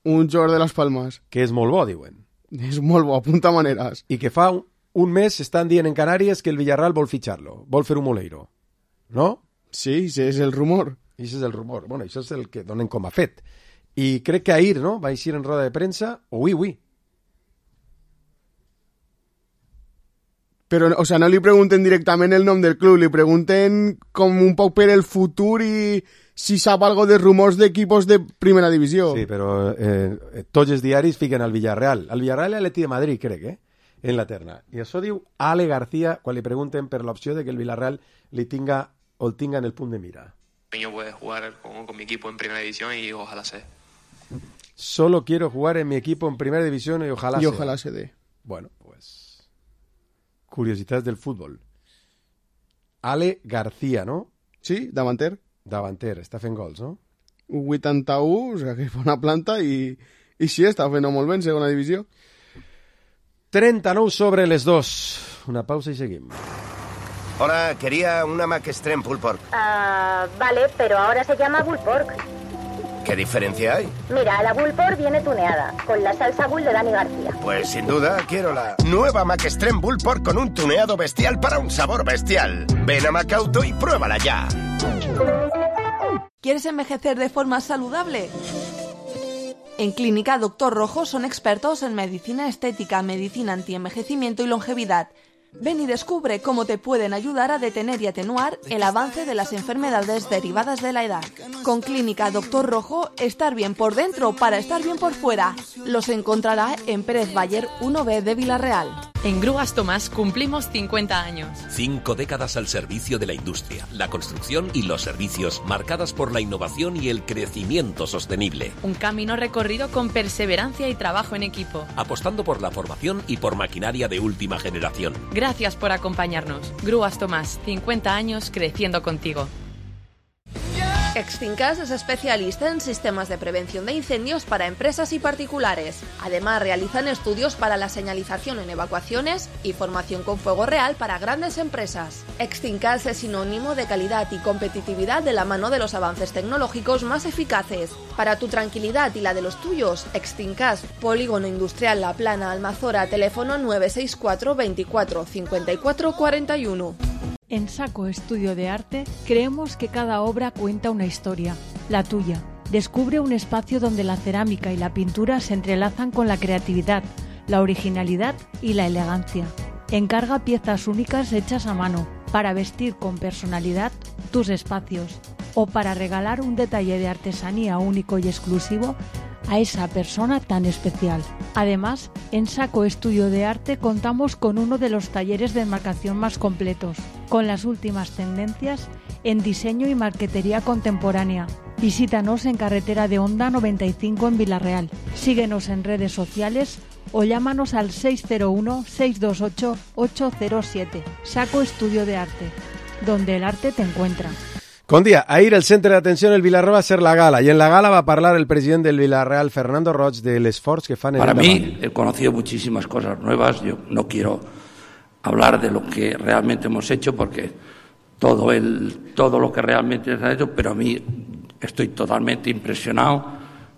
Un jugador de Las Palmas. Que és molt bo, diuen. És molt bo, apunta maneres. I que fa un mes estan dient en Canàries que el Villarreal vol fitxar-lo, vol fer un Moleiro. No? Sí, ese és el rumor. Ese és el rumor. Bueno, això és el que donen com a fet. I crec que ahir, no?, va eixir en roda de premsa, oui. Però, o sea, no li pregunten directament el nom del club, li pregunten com un poc per el futur i si sap algo de rumors d'equipos de primera divisió. Sí, però tots els diaris fiquen al Villarreal. Al Villarreal i a l'Atleti de Madrid, crec, en la terna. I això diu Ale García quan li pregunten per l'opció de que el Villarreal li tinga o el tinga en el punt de mira. Yo puedo jugar con mi equipo en primera división y ojalá sea. Solo quiero jugar en mi equipo en primera división y ojalá sea. Y ojalá se dé. Bueno, pues... Curiositats del futbol. Ale García, no? Sí, davanter. Davanter, està fent gols, no? 81, o sea, que és bona planta i sí, està fent molt bé en segona divisió. 39 sobre les 2. Una pausa y seguim. Hola, quería una Mac Extreme Pulled Pork. Vale, pero ahora se llama Bull Pork. ¿Qué diferencia hay? Mira, la Bull Pork viene tuneada, con la salsa Bull de Dani García. Pues sin duda quiero la nueva Mac Extreme Bull Pork con un tuneado bestial para un sabor bestial. Ven a Macauto y pruébala ya. ¿Quieres envejecer de forma saludable? En Clínica Doctor Rojo son expertos en medicina estética, medicina antienvejecimiento y longevidad. Ven y descubre cómo te pueden ayudar a detener y atenuar el avance de las enfermedades derivadas de la edad. Con Clínica Doctor Rojo, estar bien por dentro para estar bien por fuera. Los encontrará en Pérez Bayer 1B de Villarreal. En Grúas Tomás cumplimos 50 años. 5 décadas al servicio de la industria, la construcción y los servicios, marcadas por la innovación y el crecimiento sostenible. Un camino recorrido con perseverancia y trabajo en equipo. Apostando por la formación y por maquinaria de última generación. Gracias por acompañarnos. Grúas Tomás, 50 años creciendo contigo. Extincas es especialista en sistemas de prevención de incendios para empresas y particulares. Además, realizan estudios para la señalización en evacuaciones y formación con fuego real para grandes empresas. Extincas es sinónimo de calidad y competitividad de la mano de los avances tecnológicos más eficaces. Para tu tranquilidad y la de los tuyos, Extincas, Polígono Industrial La Plana, Almazora, teléfono 964 24 54 41. En Saco Estudio de Arte creemos que cada obra cuenta una historia, la tuya. Descubre un espacio donde la cerámica y la pintura se entrelazan con la creatividad, la originalidad y la elegancia. Encarga piezas únicas hechas a mano para vestir con personalidad tus espacios o para regalar un detalle de artesanía único y exclusivo a esa persona tan especial. Además, en Saco Estudio de Arte contamos con uno de los talleres de enmarcación más completos, con las últimas tendencias en diseño y marquetería contemporánea. Visítanos en Carretera de Honda 95 en Villarreal. Síguenos en redes sociales o llámanos al 601-628-807. Saco Estudio de Arte, donde el arte te encuentra. Con día, ahir el centre d'atenció en el Villarreal va ser la gala, y en la gala va a hablar el presidente del Villarreal, Fernando Roig, del esfuerzo que fan en el Para mí, he conocido muchísimas cosas nuevas. Yo no quiero hablar de lo que realmente hemos hecho, porque todo lo que realmente se ha hecho, pero a mí estoy totalmente impresionado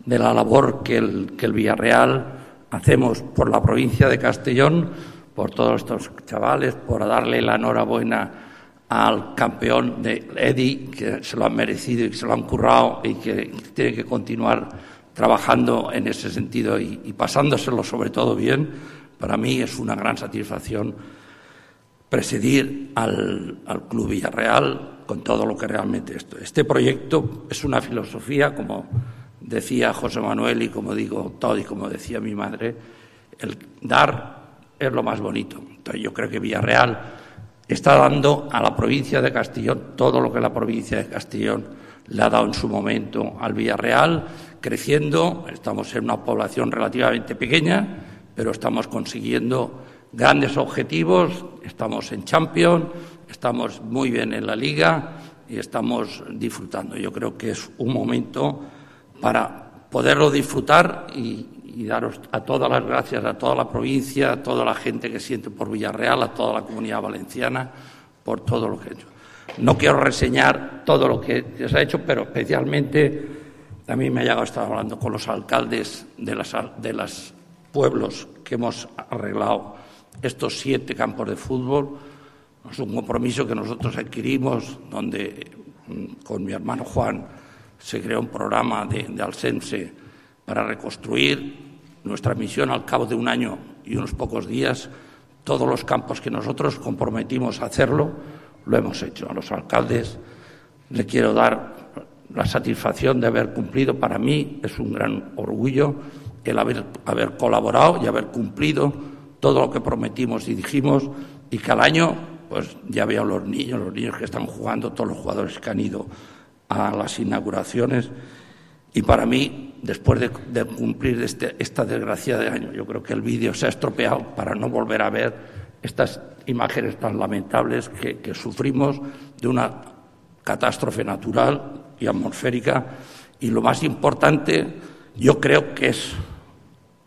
de la labor que el Villarreal hacemos por la provincia de Castellón, por todos estos chavales, por darle la enhorabuena al campeón de Eddie, que se lo han merecido y que se lo han currado y que tiene que continuar trabajando en ese sentido y pasándoselo sobre todo bien. Para mí es una gran satisfacción presidir al Club Villarreal con todo lo que realmente esto. Este proyecto es una filosofía, como decía José Manuel y como digo todo y como decía mi madre, el dar es lo más bonito. Entonces yo creo que Villarreal está dando a la provincia de Castellón todo lo que la provincia de Castellón le ha dado en su momento al Villarreal, creciendo. Estamos en una población relativamente pequeña, pero estamos consiguiendo grandes objetivos, estamos en Champions, estamos muy bien en la Liga y estamos disfrutando. Yo creo que es un momento para poderlo disfrutar y daros a todas las gracias a toda la provincia, a toda la gente que siente por Villarreal, a toda la comunidad valenciana, por todo lo que he hecho. No quiero reseñar todo lo que se ha hecho, pero especialmente también me ha llegado a estar hablando con los alcaldes de los pueblos que hemos arreglado estos 7 campos de fútbol. Es un compromiso que nosotros adquirimos, donde con mi hermano Juan se creó un programa de Alsense para reconstruir. Nuestra misión al cabo de un año y unos pocos días, todos los campos que nosotros comprometimos a hacerlo, lo hemos hecho. A los alcaldes le quiero dar la satisfacción de haber cumplido. Para mí es un gran orgullo el haber colaborado y haber cumplido todo lo que prometimos y dijimos, y que al año pues ya veo los niños que están jugando, todos los jugadores que han ido a las inauguraciones. Y para mí, después de cumplir esta desgracia de año, yo creo que el vídeo se ha estropeado para no volver a ver estas imágenes tan lamentables que sufrimos de una catástrofe natural y atmosférica. Y lo más importante, yo creo que es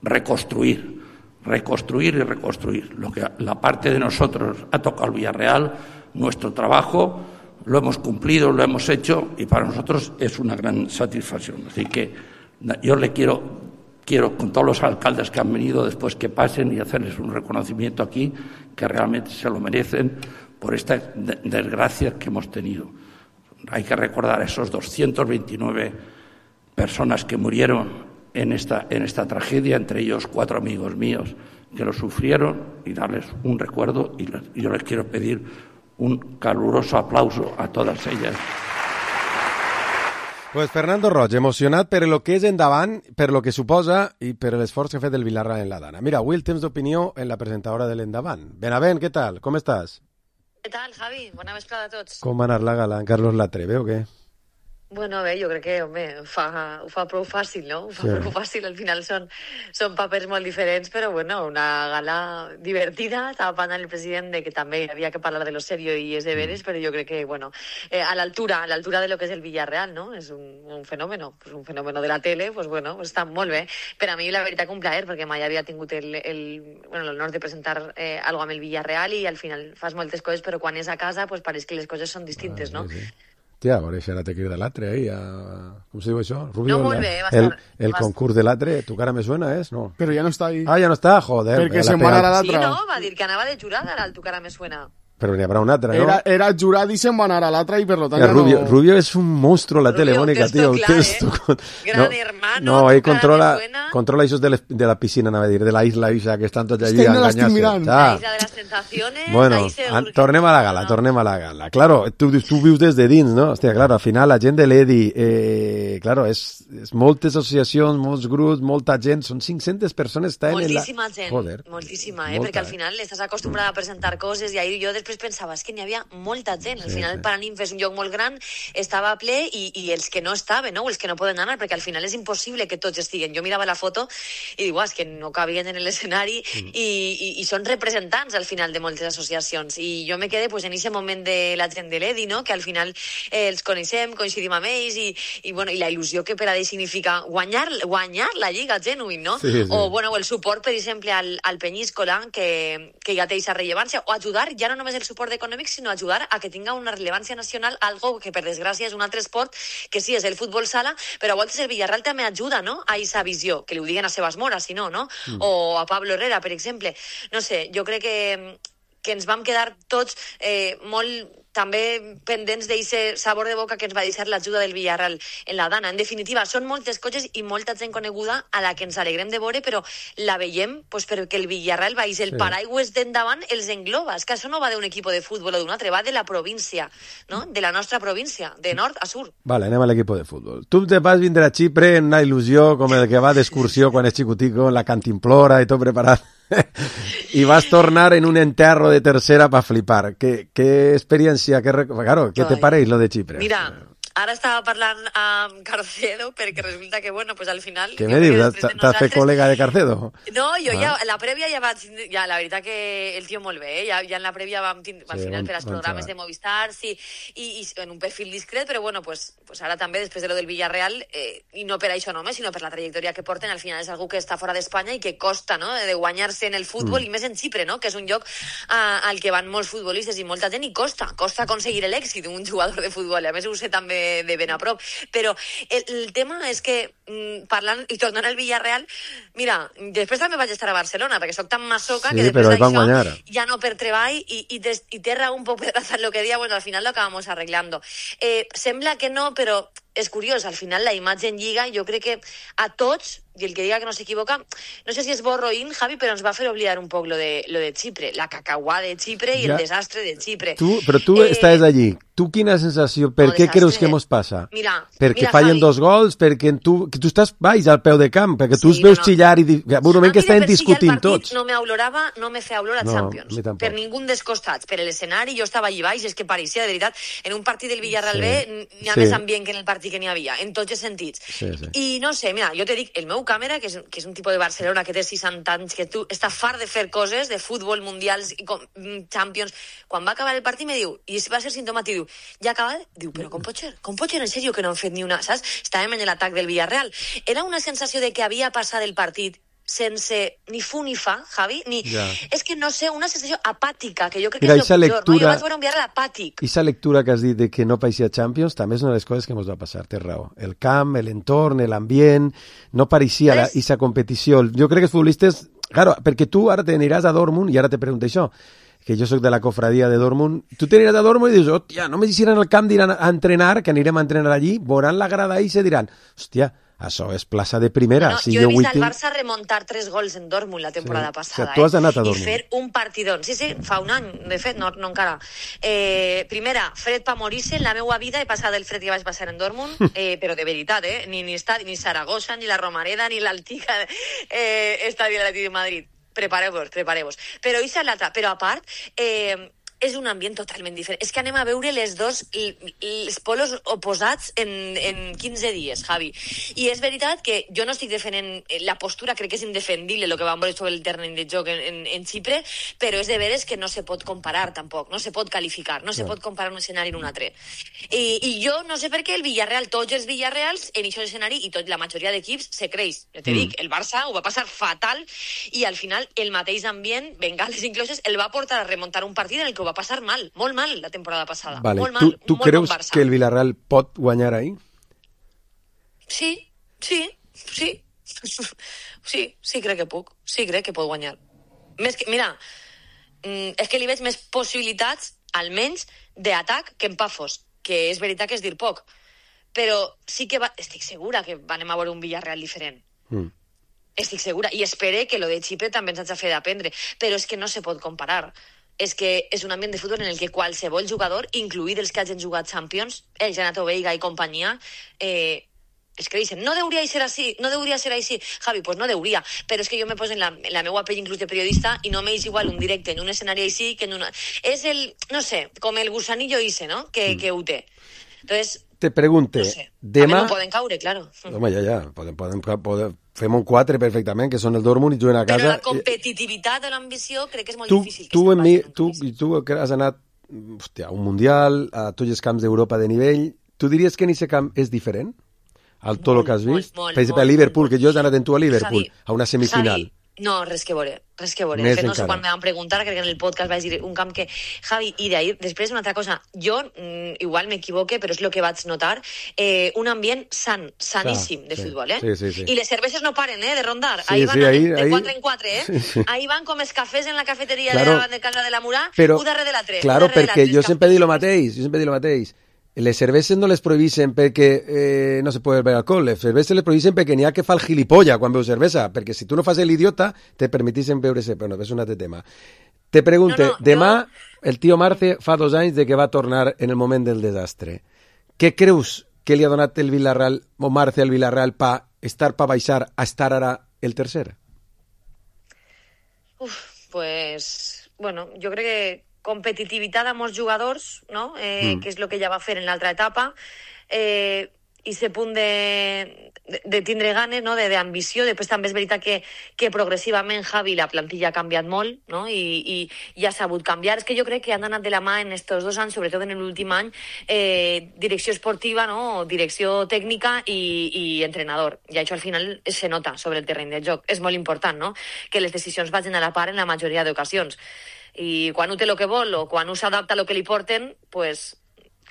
reconstruir y reconstruir. Lo que la parte de nosotros ha tocado al Villarreal, nuestro trabajo, lo hemos cumplido, lo hemos hecho y para nosotros es una gran satisfacción. Así que yo le quiero con todos los alcaldes que han venido después que pasen y hacerles un reconocimiento aquí, que realmente se lo merecen por esta desgracia que hemos tenido. Hay que recordar a esos 229 personas que murieron en esta tragedia, entre ellos 4 amigos míos que lo sufrieron, y darles un recuerdo, y yo les quiero pedir un caluroso aplauso a todas ellas. Pues Fernando Roig, emocionat per lo que és endavant, per lo que suposa i per l'esforç que ha fet el Villarreal en la Dana. Mira, avui el temps d'opinió en la presentadora de l'Endavant. Benavent, què tal? Com estàs? Què tal, Javi? Bona vesprada a tots. Com va anar la gala en Carlos Latre, o què? Bueno, bé, jo crec que, home, ho fa prou fàcil, no? Ho fa prou fàcil, al final són papers molt diferents, però, bueno, una gala divertida. Estava parlant el president de que també havia que parlar de lo serio i és de veres, però jo crec que, bueno, a l'altura de lo que és el Villarreal, no? És un fenómeno, pues un fenómeno de la tele, pues bueno, està molt bé. Per a mi, la veritat, un plaer, perquè mai havia tingut l'honor de presentar algo amb el Villarreal i al final fas moltes coses, però quan és a casa, pues pareix que les coses són distintes, no? Sí. Tia, a veure si ara te crida l'Atre ahí, com se diu això? Rubio, no, molt bé, el concurs de l'Atre, tu cara me suena, és? No. Però ja no està ahí. Ah, ja no està, joder. Perquè se'n va anar a l'altre. Sí, no, va dir que anava de jurada al tu cara me suena. Però n'hi haurà un altre, ¿no? Era jurat i se'n va anar a l'altre i per tant ja no... Rubio es un monstruo en la tele, Mónica, tío. Gran hermano. No, ahí controla esos de la piscina, anava a dir, de la isla Isa, que estan tots allí enganyats. La isla de las sensaciones. Bueno, tornem a la gala. Claro, tu vius des de dins, no? Hòstia, claro, al final la gent de l'EDI, claro, és moltes associacions, molts grups, molta gent, són 500 persones que estan en la... Moltíssima gent, moltíssima, perquè al final estàs acostumbrada a presentar coses i ahir jo després pensava, és que n'hi havia molta gent. Al final el Paraninf és un lloc molt gran, estava ple i els que no estaven, no? Els que no poden anar, perquè al final és impossible que tots estiguen. Jo mirava la foto i dic, és que no cabien en l'escenari i són representants al final de moltes associacions. I jo me quedé en aquest moment de la gent de l'EDI, no? Que al final els coneixem, coincidim amb ells i la il·lusió que per a ells significa guanyar la Lliga genuïn, no? Sí. O el suport, per exemple, al Peñíscola, que ja té aquesta rellevància, o ajudar ja no només el suport econòmic, sinó ajudar a que tinga una rellevància nacional, algo que per desgràcia és un altre esport, que sí, és el futbol sala, però a voltes el Villarreal també ajuda, no?, a aquesta visió, que li ho diguen a Sebas Mora, si no, no? O a Pablo Herrera, per exemple. No sé, jo crec que ens vam quedar tots molt també pendents d'aquest sabor de boca que ens va deixar l'ajuda del Villarreal en la Dana. En definitiva, són moltes coses i molta gent coneguda a la que ens alegrem de veure, però la veiem perquè el Villarreal va el paraigües d'endavant els engloba. És que això no va d'un equip de futbol o d'un altre, va de la província, no? De la nostra província, de nord a sur. Vale, anem a l'equip de futbol. Tu te vas vindre a Xipre en una il·lusió com el que va d'excursió quan és xicutico, en la cantimplora i tot preparat. Y vas a tornar en un enterro de tercera para flipar. ¿Qué experiencia, claro, qué te pareix lo de Chipre? Mira, ara estava parlant amb Carcedo perquè resulta que, bueno, pues al final... Què me dius? T'has fet col·lega de Carcedo? No, jo ja, la prèvia ja vaig... Ja, la veritat que el tio molt bé, ja en la prèvia vam tindre, al final, per als programes de Movistar, sí, i en un perfil discret, però bueno, pues ara també, després de lo del Villarreal, i no per això només, sinó per la trajectòria que porten, al final és algú que està fora d'Espanya i que costa, no?, de guanyar-se en el futbol, i més en Xipre, no?, que és un lloc al que van molts futbolistes i molta gent, i costa aconseguir l'èxit d'un jugador de futbol, a més ho sé també de ben a prop, però el tema és que parlant i tornant al Villarreal, mira, després també vaig estar a Barcelona perquè sóc tan masoca que després d'això ja no per treball i té raó un poc pedrazar lo que dia, bueno, al final lo acabamos arreglando. Sembla que no, però és curiós, al final la imatge en Lliga jo crec que a tots, i el que diga que no s'equivoca, no sé si és borroín, Javi, però ens va fer oblidar un poc lo de Xipre, la cacauà de Xipre i el desastre de Xipre. Però tu estàs allí, tu quina sensació, per què creus que mos passa? Perquè fallen dos gols, perquè tu estàs baix al peu de camp, perquè tu els veus xillar i un moment que estan discutint tots. No me feia olor a Champions, per ningú dels costats, per l'escenari, jo estava allí baix, és que pareixia, de veritat, en un partit del Villarreal B n'hi ha més ambient que en el partit que n'hi havia, en tots els sentits. I no sé, mira, jo te dic, el meu càmera, que és un tipus de Barcelona que té 60 anys, que tu està fart de fer coses, de futbol, mundials, Champions, quan va acabar el partit me diu, i va ser simptomàtic, diu, ja ha acabat? Diu, però com pot ser, en sèrio, que no han fet ni una, saps? Estàvem en l'atac del Villarreal. Era una sensació de que havia passat el partit sense ni fu ni fa, Javi, ni... És que no sé, una sensació apàtica, que jo crec que és el pitjor, no? Jo vaig veure un Villarreal apàtic. I aquesta lectura que has dit de que no pareixia Champions també és una de les coses que ens va passar, té raó. El camp, l'entorn, l'ambient, no pareixia aquesta competició. Jo crec que els futbolistes... Claro, perquè tu ara te n'aniràs a Dortmund, i ara te pregunto això, que jo sóc de la cofradia de Dortmund, tu t'aniràs a Dortmund i dius, hòstia, només hi iran al camp, diran a entrenar, que anirem a entrenar allí, veuran la grada i se diran, hòstia, això és plaça de primera. No, jo he vist el Barça remuntar 3 gols en Dortmund la temporada passada. Tu has anat a Dortmund. I fer un partidón. Sí, fa un any, de fet, no encara. Primera, fred pa morir-se. En la meva vida he passat el fred que vaig passar en Dortmund, però de veritat, ni Saragossa, ni la Romareda, ni l'antiga estadi de l'Atlètic de Madrid. Prepareu-vos. Però a part... és un ambient totalment diferent. És que anem a veure els polos oposats en 15 dies, Javi. I és veritat que jo no estic defendent la postura, crec que és indefendible el que vam veure sobre el terreny de joc en Xipre, però és de veres que no se pot comparar tampoc, no se pot qualificar, no se pot comparar un escenari en un altre. I jo no sé per què el Villarreal, tots els Villarreals, en aquest escenari, i la majoria d'equips se creix. Ja te dic, el Barça ho va passar fatal i al final el mateix ambient, bengales incloses, el va portar a remuntar un partit en el que ho va passar mal, molt mal la temporada passada. Vale. Molt mal, tu creus que el Villarreal pot guanyar ahí? Sí, crec que puc. Sí, crec que pot guanyar. Mira, és que li veig més possibilitats, almenys, d'atac que en Pafos, que és veritat que és dir poc. Però sí que estic segura que anem a veure un Villarreal diferent. Estic segura. I espero que lo de Xipre també ens hagi de fer d'aprendre. Però és que no se pot comparar. És que és un ambient de futbol en el que qualsevol jugador, incluït els que hagin jugat Champions, el Renato Veiga i companyia, es creixen. No deuria ser així. Javi, pues no deuria. Però és que jo me poso en la meva pell inclús de periodista i no m'és igual un directe en un escenari així que en una... És el, no sé, com el gusanillo ese, no?, que ho té. Entonces... Te pregunte, no sé. demà... A mi no poden caure, claro. Home, ja. Fem un 4 perfectament, que són el Dortmund i juguen a casa. Però la competitivitat o l'ambició crec que és molt difícil. Tu has anat a un Mundial, a tots els camps d'Europa de nivell. Tu diries que en aquest camp és diferent? Al tot el que has vist? Per exemple, a Liverpool, que jo he anat amb tu a Liverpool, a una semifinal. No, res que veure. Més No sé encara. quan me van preguntar, crec que en el podcast vaig dir un camp que... Javi, i d'ahir, després una altra cosa, jo igual m'equivoque, però és el que vaig notar, un ambient saníssim de futbol, Sí. I les cerveses no paren, de rondar. Sí, ahí van de ahí- 4 en 4, Sí. Ahí van com els cafès en la cafeteria Claro. de casa de la Murà, Però, un darrere de l'altre. claro, perquè jo sempre he dit el mateix. Les cerveses no les prohibeixen perquè no se pot beure alcohol, les cerveses les prohibeixen perquè n'hi ha que fa el gilipolla quan veu cervesa, perquè si tu no fas l'idiota te permetixen beure-se, però no, és un altre tema. Te pregunte, demà el tio Marce fa 2 anys de que va tornar en el moment del desastre. Què creus que li ha donat el Villarreal o Marce al Villarreal pa baixar a estar ara el tercer? Pues, bueno, jo crec que competitivitat a molts jugadors, no? Que és el que ja va fer en l'altra etapa, i ese punt de tindre ganes, no? d'ambició. Després també és veritat que progressivament, Javi, la plantilla ha canviat molt, no? I ha sabut canviar. És que jo crec que han anat de la mà en estos 2 anys, sobretot en l'últim any, direcció esportiva, no? Direcció tècnica i entrenador. I això al final se nota sobre el terreny de joc. És molt important, no? Que les decisions vagin a la part en la majoria d'ocasions. I quan un té el que vol o quan un s'adapta a lo que li porten, pues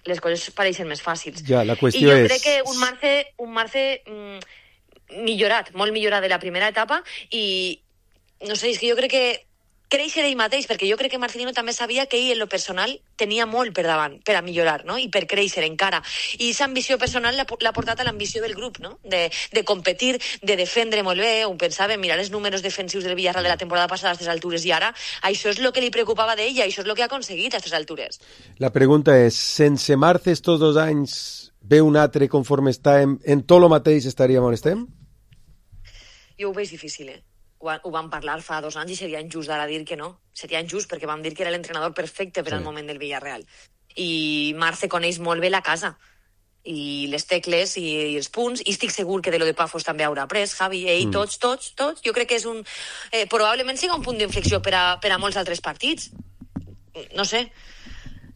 les coses pareixen més fàcils. Ja, la qüestió I jo és... crec que un Marce millorat, molt millorat de la primera etapa, i no sé, és que jo crec que créixer ell mateix, perquè jo crec que Marcelino també sabia que ell en lo personal tenia molt per davant, per a millorar, no? I per créixer encara. I aquesta ambició personal l'ha portat a l'ambició del grup, no? De competir, de defendre molt bé. Un pensava, mirar els números defensius del Villarreal de la temporada passada a aquestes altures, i ara això és el que li preocupava d'ell i això és el que ha aconseguit a aquestes altures. La pregunta és, sense Marce estos 2 anys, ve un altre conforme està en tot lo mateix estaríem on estem? Jo ho veig difícil, Ho vam parlar fa 2 anys i seria injust d'ara dir que no. Seria injust perquè vam dir que era l'entrenador perfecte per al moment del Villarreal. I Marce coneix molt bé la casa i les tecles i els punts, i estic segur que de lo de Pafos també haurà après, Javi, ell, tots. Jo crec que és probablement siga un punt d'inflexió per a molts altres partits. No sé.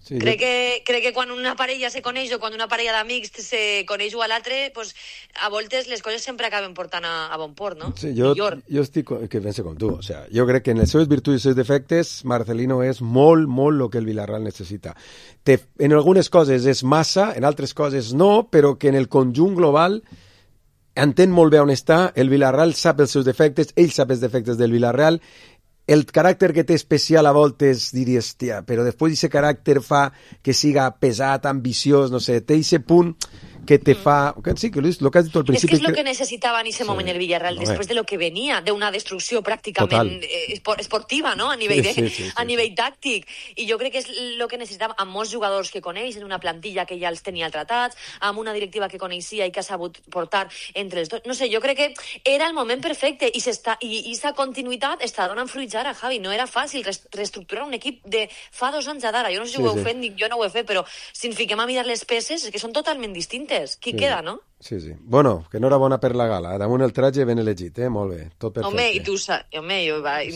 Sí, crec que quan una parella se coneix o quan una parella d'amics se coneix un a l'altre, pues, a voltes les coses sempre acaben portant a bon port, no? Sí, jo estic que penso com tu. O sea, jo crec que en les seves virtuts i els seus defectes Marcelino és molt el que el Villarreal necessita. En algunes coses és massa, en altres coses no, però que en el conjunt global entén molt bé on està. El Villarreal sap els seus defectes, ell sap els defectes del Villarreal. El caràcter que té especial a voltes diries, tia, però després d'aquest caràcter fa que siga pesat, ambiciós, no sé, té aquest punt que te fa... Sí, que el que has dit al principi... És que és el que necessitava en aquest moment el Villarreal, després de lo que venia, d'una destrucció pràcticament esportiva, no? A nivell tàctic. I jo crec que és el que necessitava amb molts jugadors que coneix, en una plantilla que ja els tenia tratats, amb una directiva que coneixia i que ha sabut portar entre els dos. No sé, jo crec que era el moment perfecte i aquesta continuïtat està donant fruits ara, Javi. No era fàcil reestructurar un equip de fa 2 anys a d'ara. Jo no sé si ho heu fet, jo no ho he fet, però si ens fiquem a mirar les peces, és que són totalment distintes. Qui queda, no? Sí. Bueno, que enhorabona per la gala. Damunt el traje ben elegit, molt bé. Tot perfecte. Home, i tu saps,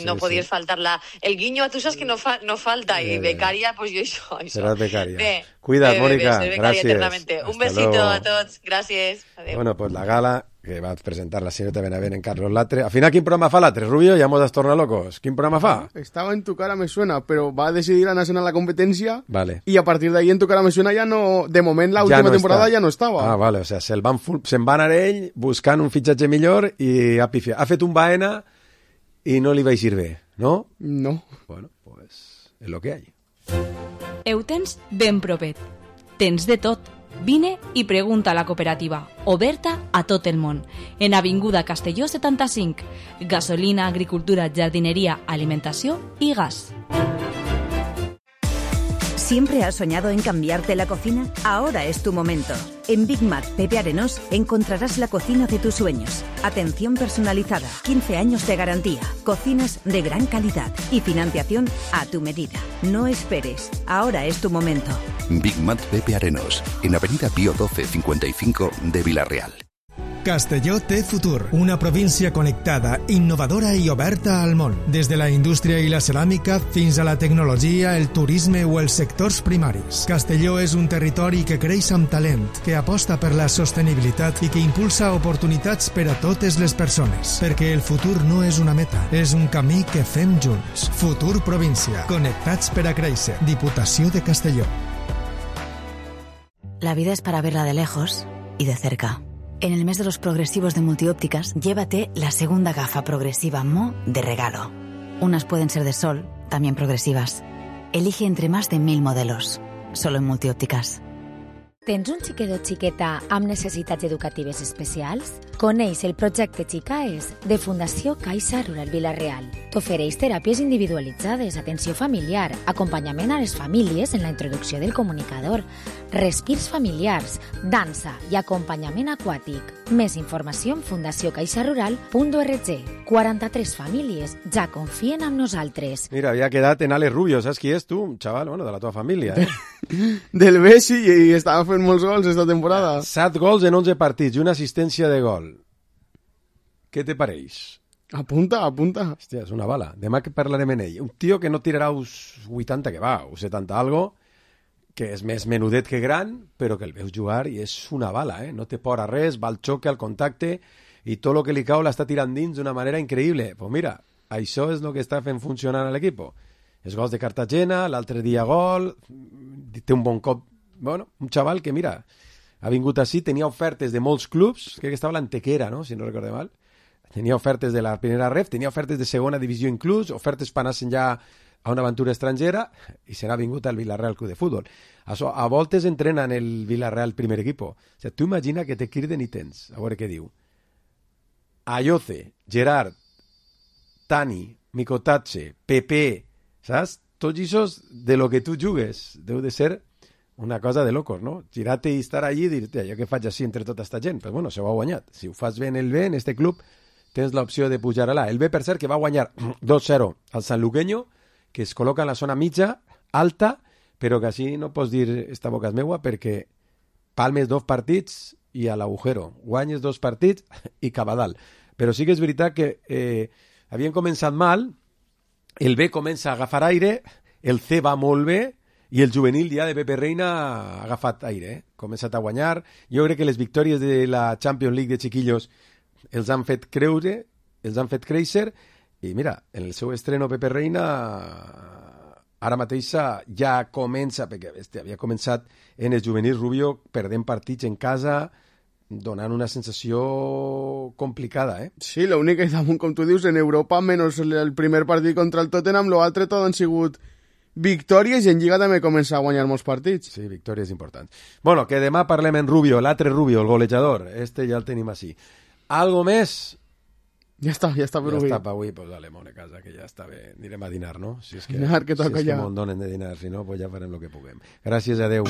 no podies faltar el guinyo a tu saps que no falta, i becària, pues jo això. Seràs becària. Cuida't, Mónica. Gràcies. Un besito a tots. Gràcies. Adéu. Bueno, pues la gala que va presentar la señorita Benavent en Carlos Latre. Al final, ¿quién programa fa Latre, Rubio? Ya hemos tornado locos. ¿Quién programa fa? Estaba en Tu cara me suena, pero va a decidir anar a la competencia. Vale. Y a partir de ahí en Tu cara me suena ya no... De moment, la última temporada ya no estaba. Ah, vale. O sea, se'n va anar ell buscant un fitxatge millor i ha pifiat. Ha fet un Baena i no li va eixir bé, no? No. Bueno, pues es lo que hay. Ho tens ben propet. Tens de tot. Vine i pregunta a la cooperativa, oberta a tot el món, en Avinguda Castelló 75. Gasolina, agricultura, jardinería, alimentació i gas. ¿Siempre has soñado en cambiarte la cocina? Ahora es tu momento. En Big Mac Pepe Arenós encontrarás la cocina de tus sueños. Atención personalizada, 15 años de garantía, cocinas de gran calidad y financiación a tu medida. No esperes, ahora es tu momento. Big Mac Pepe Arenós, en Avenida Pío 12 55 de Villarreal. Castelló té futur, una província connectada, innovadora i oberta al món. Des de la indústria i la ceràmica fins a la tecnologia, el turisme o els sectors primaris. Castelló és un territori que creix amb talent, que aposta per la sostenibilitat i que impulsa oportunitats per a totes les persones. Perquè el futur no és una meta, és un camí que fem junts. Futur Província. Connectats per a créixer. Diputació de Castelló. La vida es para verla de lejos y de cerca. En el mes de los progresivos de Multiópticas, llévate la segunda gafa progresiva Mo de regalo. Unas pueden ser de sol, también progresivas. Elige entre más de 1000 modelos. Solo en Multiópticas. Tens un xiquet o xiqueta amb necessitats educatives especials? Coneix el projecte Xicaes de Fundació Caixa Rural Vila-real. T'ofereix teràpies individualitzades, atenció familiar, acompanyament a les famílies en la introducció del comunicador, respirs familiars, dansa i acompanyament aquàtic. Més informació en fundaciocaixarural.org. 43 famílies ja confien en nosaltres. Mira, había quedat en Alex Rubio, ¿sabes qui és tu? Un chaval, bueno, de la tua família, eh? Del Bessi, i estava fent molts gols esta temporada. 7 gols en 11 partits i una assistència de gol. Què te pareix? Apunta. Hòstia, és una bala. Demà que parlarem en ell. Un tio que no tirarà uns 80 que va, uns 70 algo, que és més menudet que gran, però que el veus jugar i és una bala, eh? No té por a res, va al xoque, al contacte, i tot el que li cau l'està tirant dins d'una manera increïble. Pues mira, això és el que està fent funcionar a l'equip. Els gols de Cartagena, l'altre dia gol, té un bon cop. Bueno, un xaval que, mira, ha vingut així, tenia ofertes de molts clubs, crec que estava a l'Antequera, no?, si no recordo mal. Tenia ofertes de la primera ref, tenia ofertes de segona divisió inclús, ofertes per anar-se'n ja a una aventura estrangera, i se n'ha vingut al Villarreal Club de Futbol. Això, a voltes entrena en el Villarreal primer equipo. O sigui, tu imagina que te criden i tens, a veure què diu. Ayoce, Gerard, Tani, Micotatxe, Pepe, saps? Tots aquests de lo que tu jugues. Deu de ser una cosa de locos, no? Girar-te i estar allí i dir-te, jo què faig així entre tota esta gent? Pues bueno, se ho ha guanyat. Si ho fas bé en el B, en este club, tens l'opció de pujar a l'A. El B, per cert, que va guanyar 2-0 al Sanluqueño, que es col·loca en la zona mitja, alta, però que així no pots dir esta boca és meua perquè palmes 2 partits i a l'agujero. Guanyes 2 partits i cap a dalt. Però sí que és veritat que havien començat mal, el B comença a agafar aire, el C va molt bé i el juvenil ja de Pepe Reina ha agafat aire, ha començat a guanyar. Jo crec que les victòries de la Champions League de chiquillos els han fet creure, els han fet créixer, i mira, en el seu estreno Pepe Reina ara mateix ja comença, perquè havia començat en el juvenil Rubio perdent partits en casa, donant una sensació complicada, eh? Sí, l'únic que damunt, com tu dius, en Europa, menys el primer partit contra el Tottenham, l'altre tot han sigut victòries i en Lliga també comença a guanyar molts partits. Sí, victòries importants. Bueno, que demà parlem en Rubio, l'altre Rubio, el golejador. Este ja el tenim així. Algo més? Ja està per avui. Ja està per avui, pues dale, mona casa, que ja està bé. Anirem a dinar, no? Si és que, dinar, que toca si és ja. que m'ho donen de dinar, si no, pues ja farem el que puguem. Gràcies, adeu.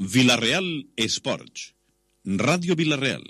Villarreal Esports. Ràdio Villarreal.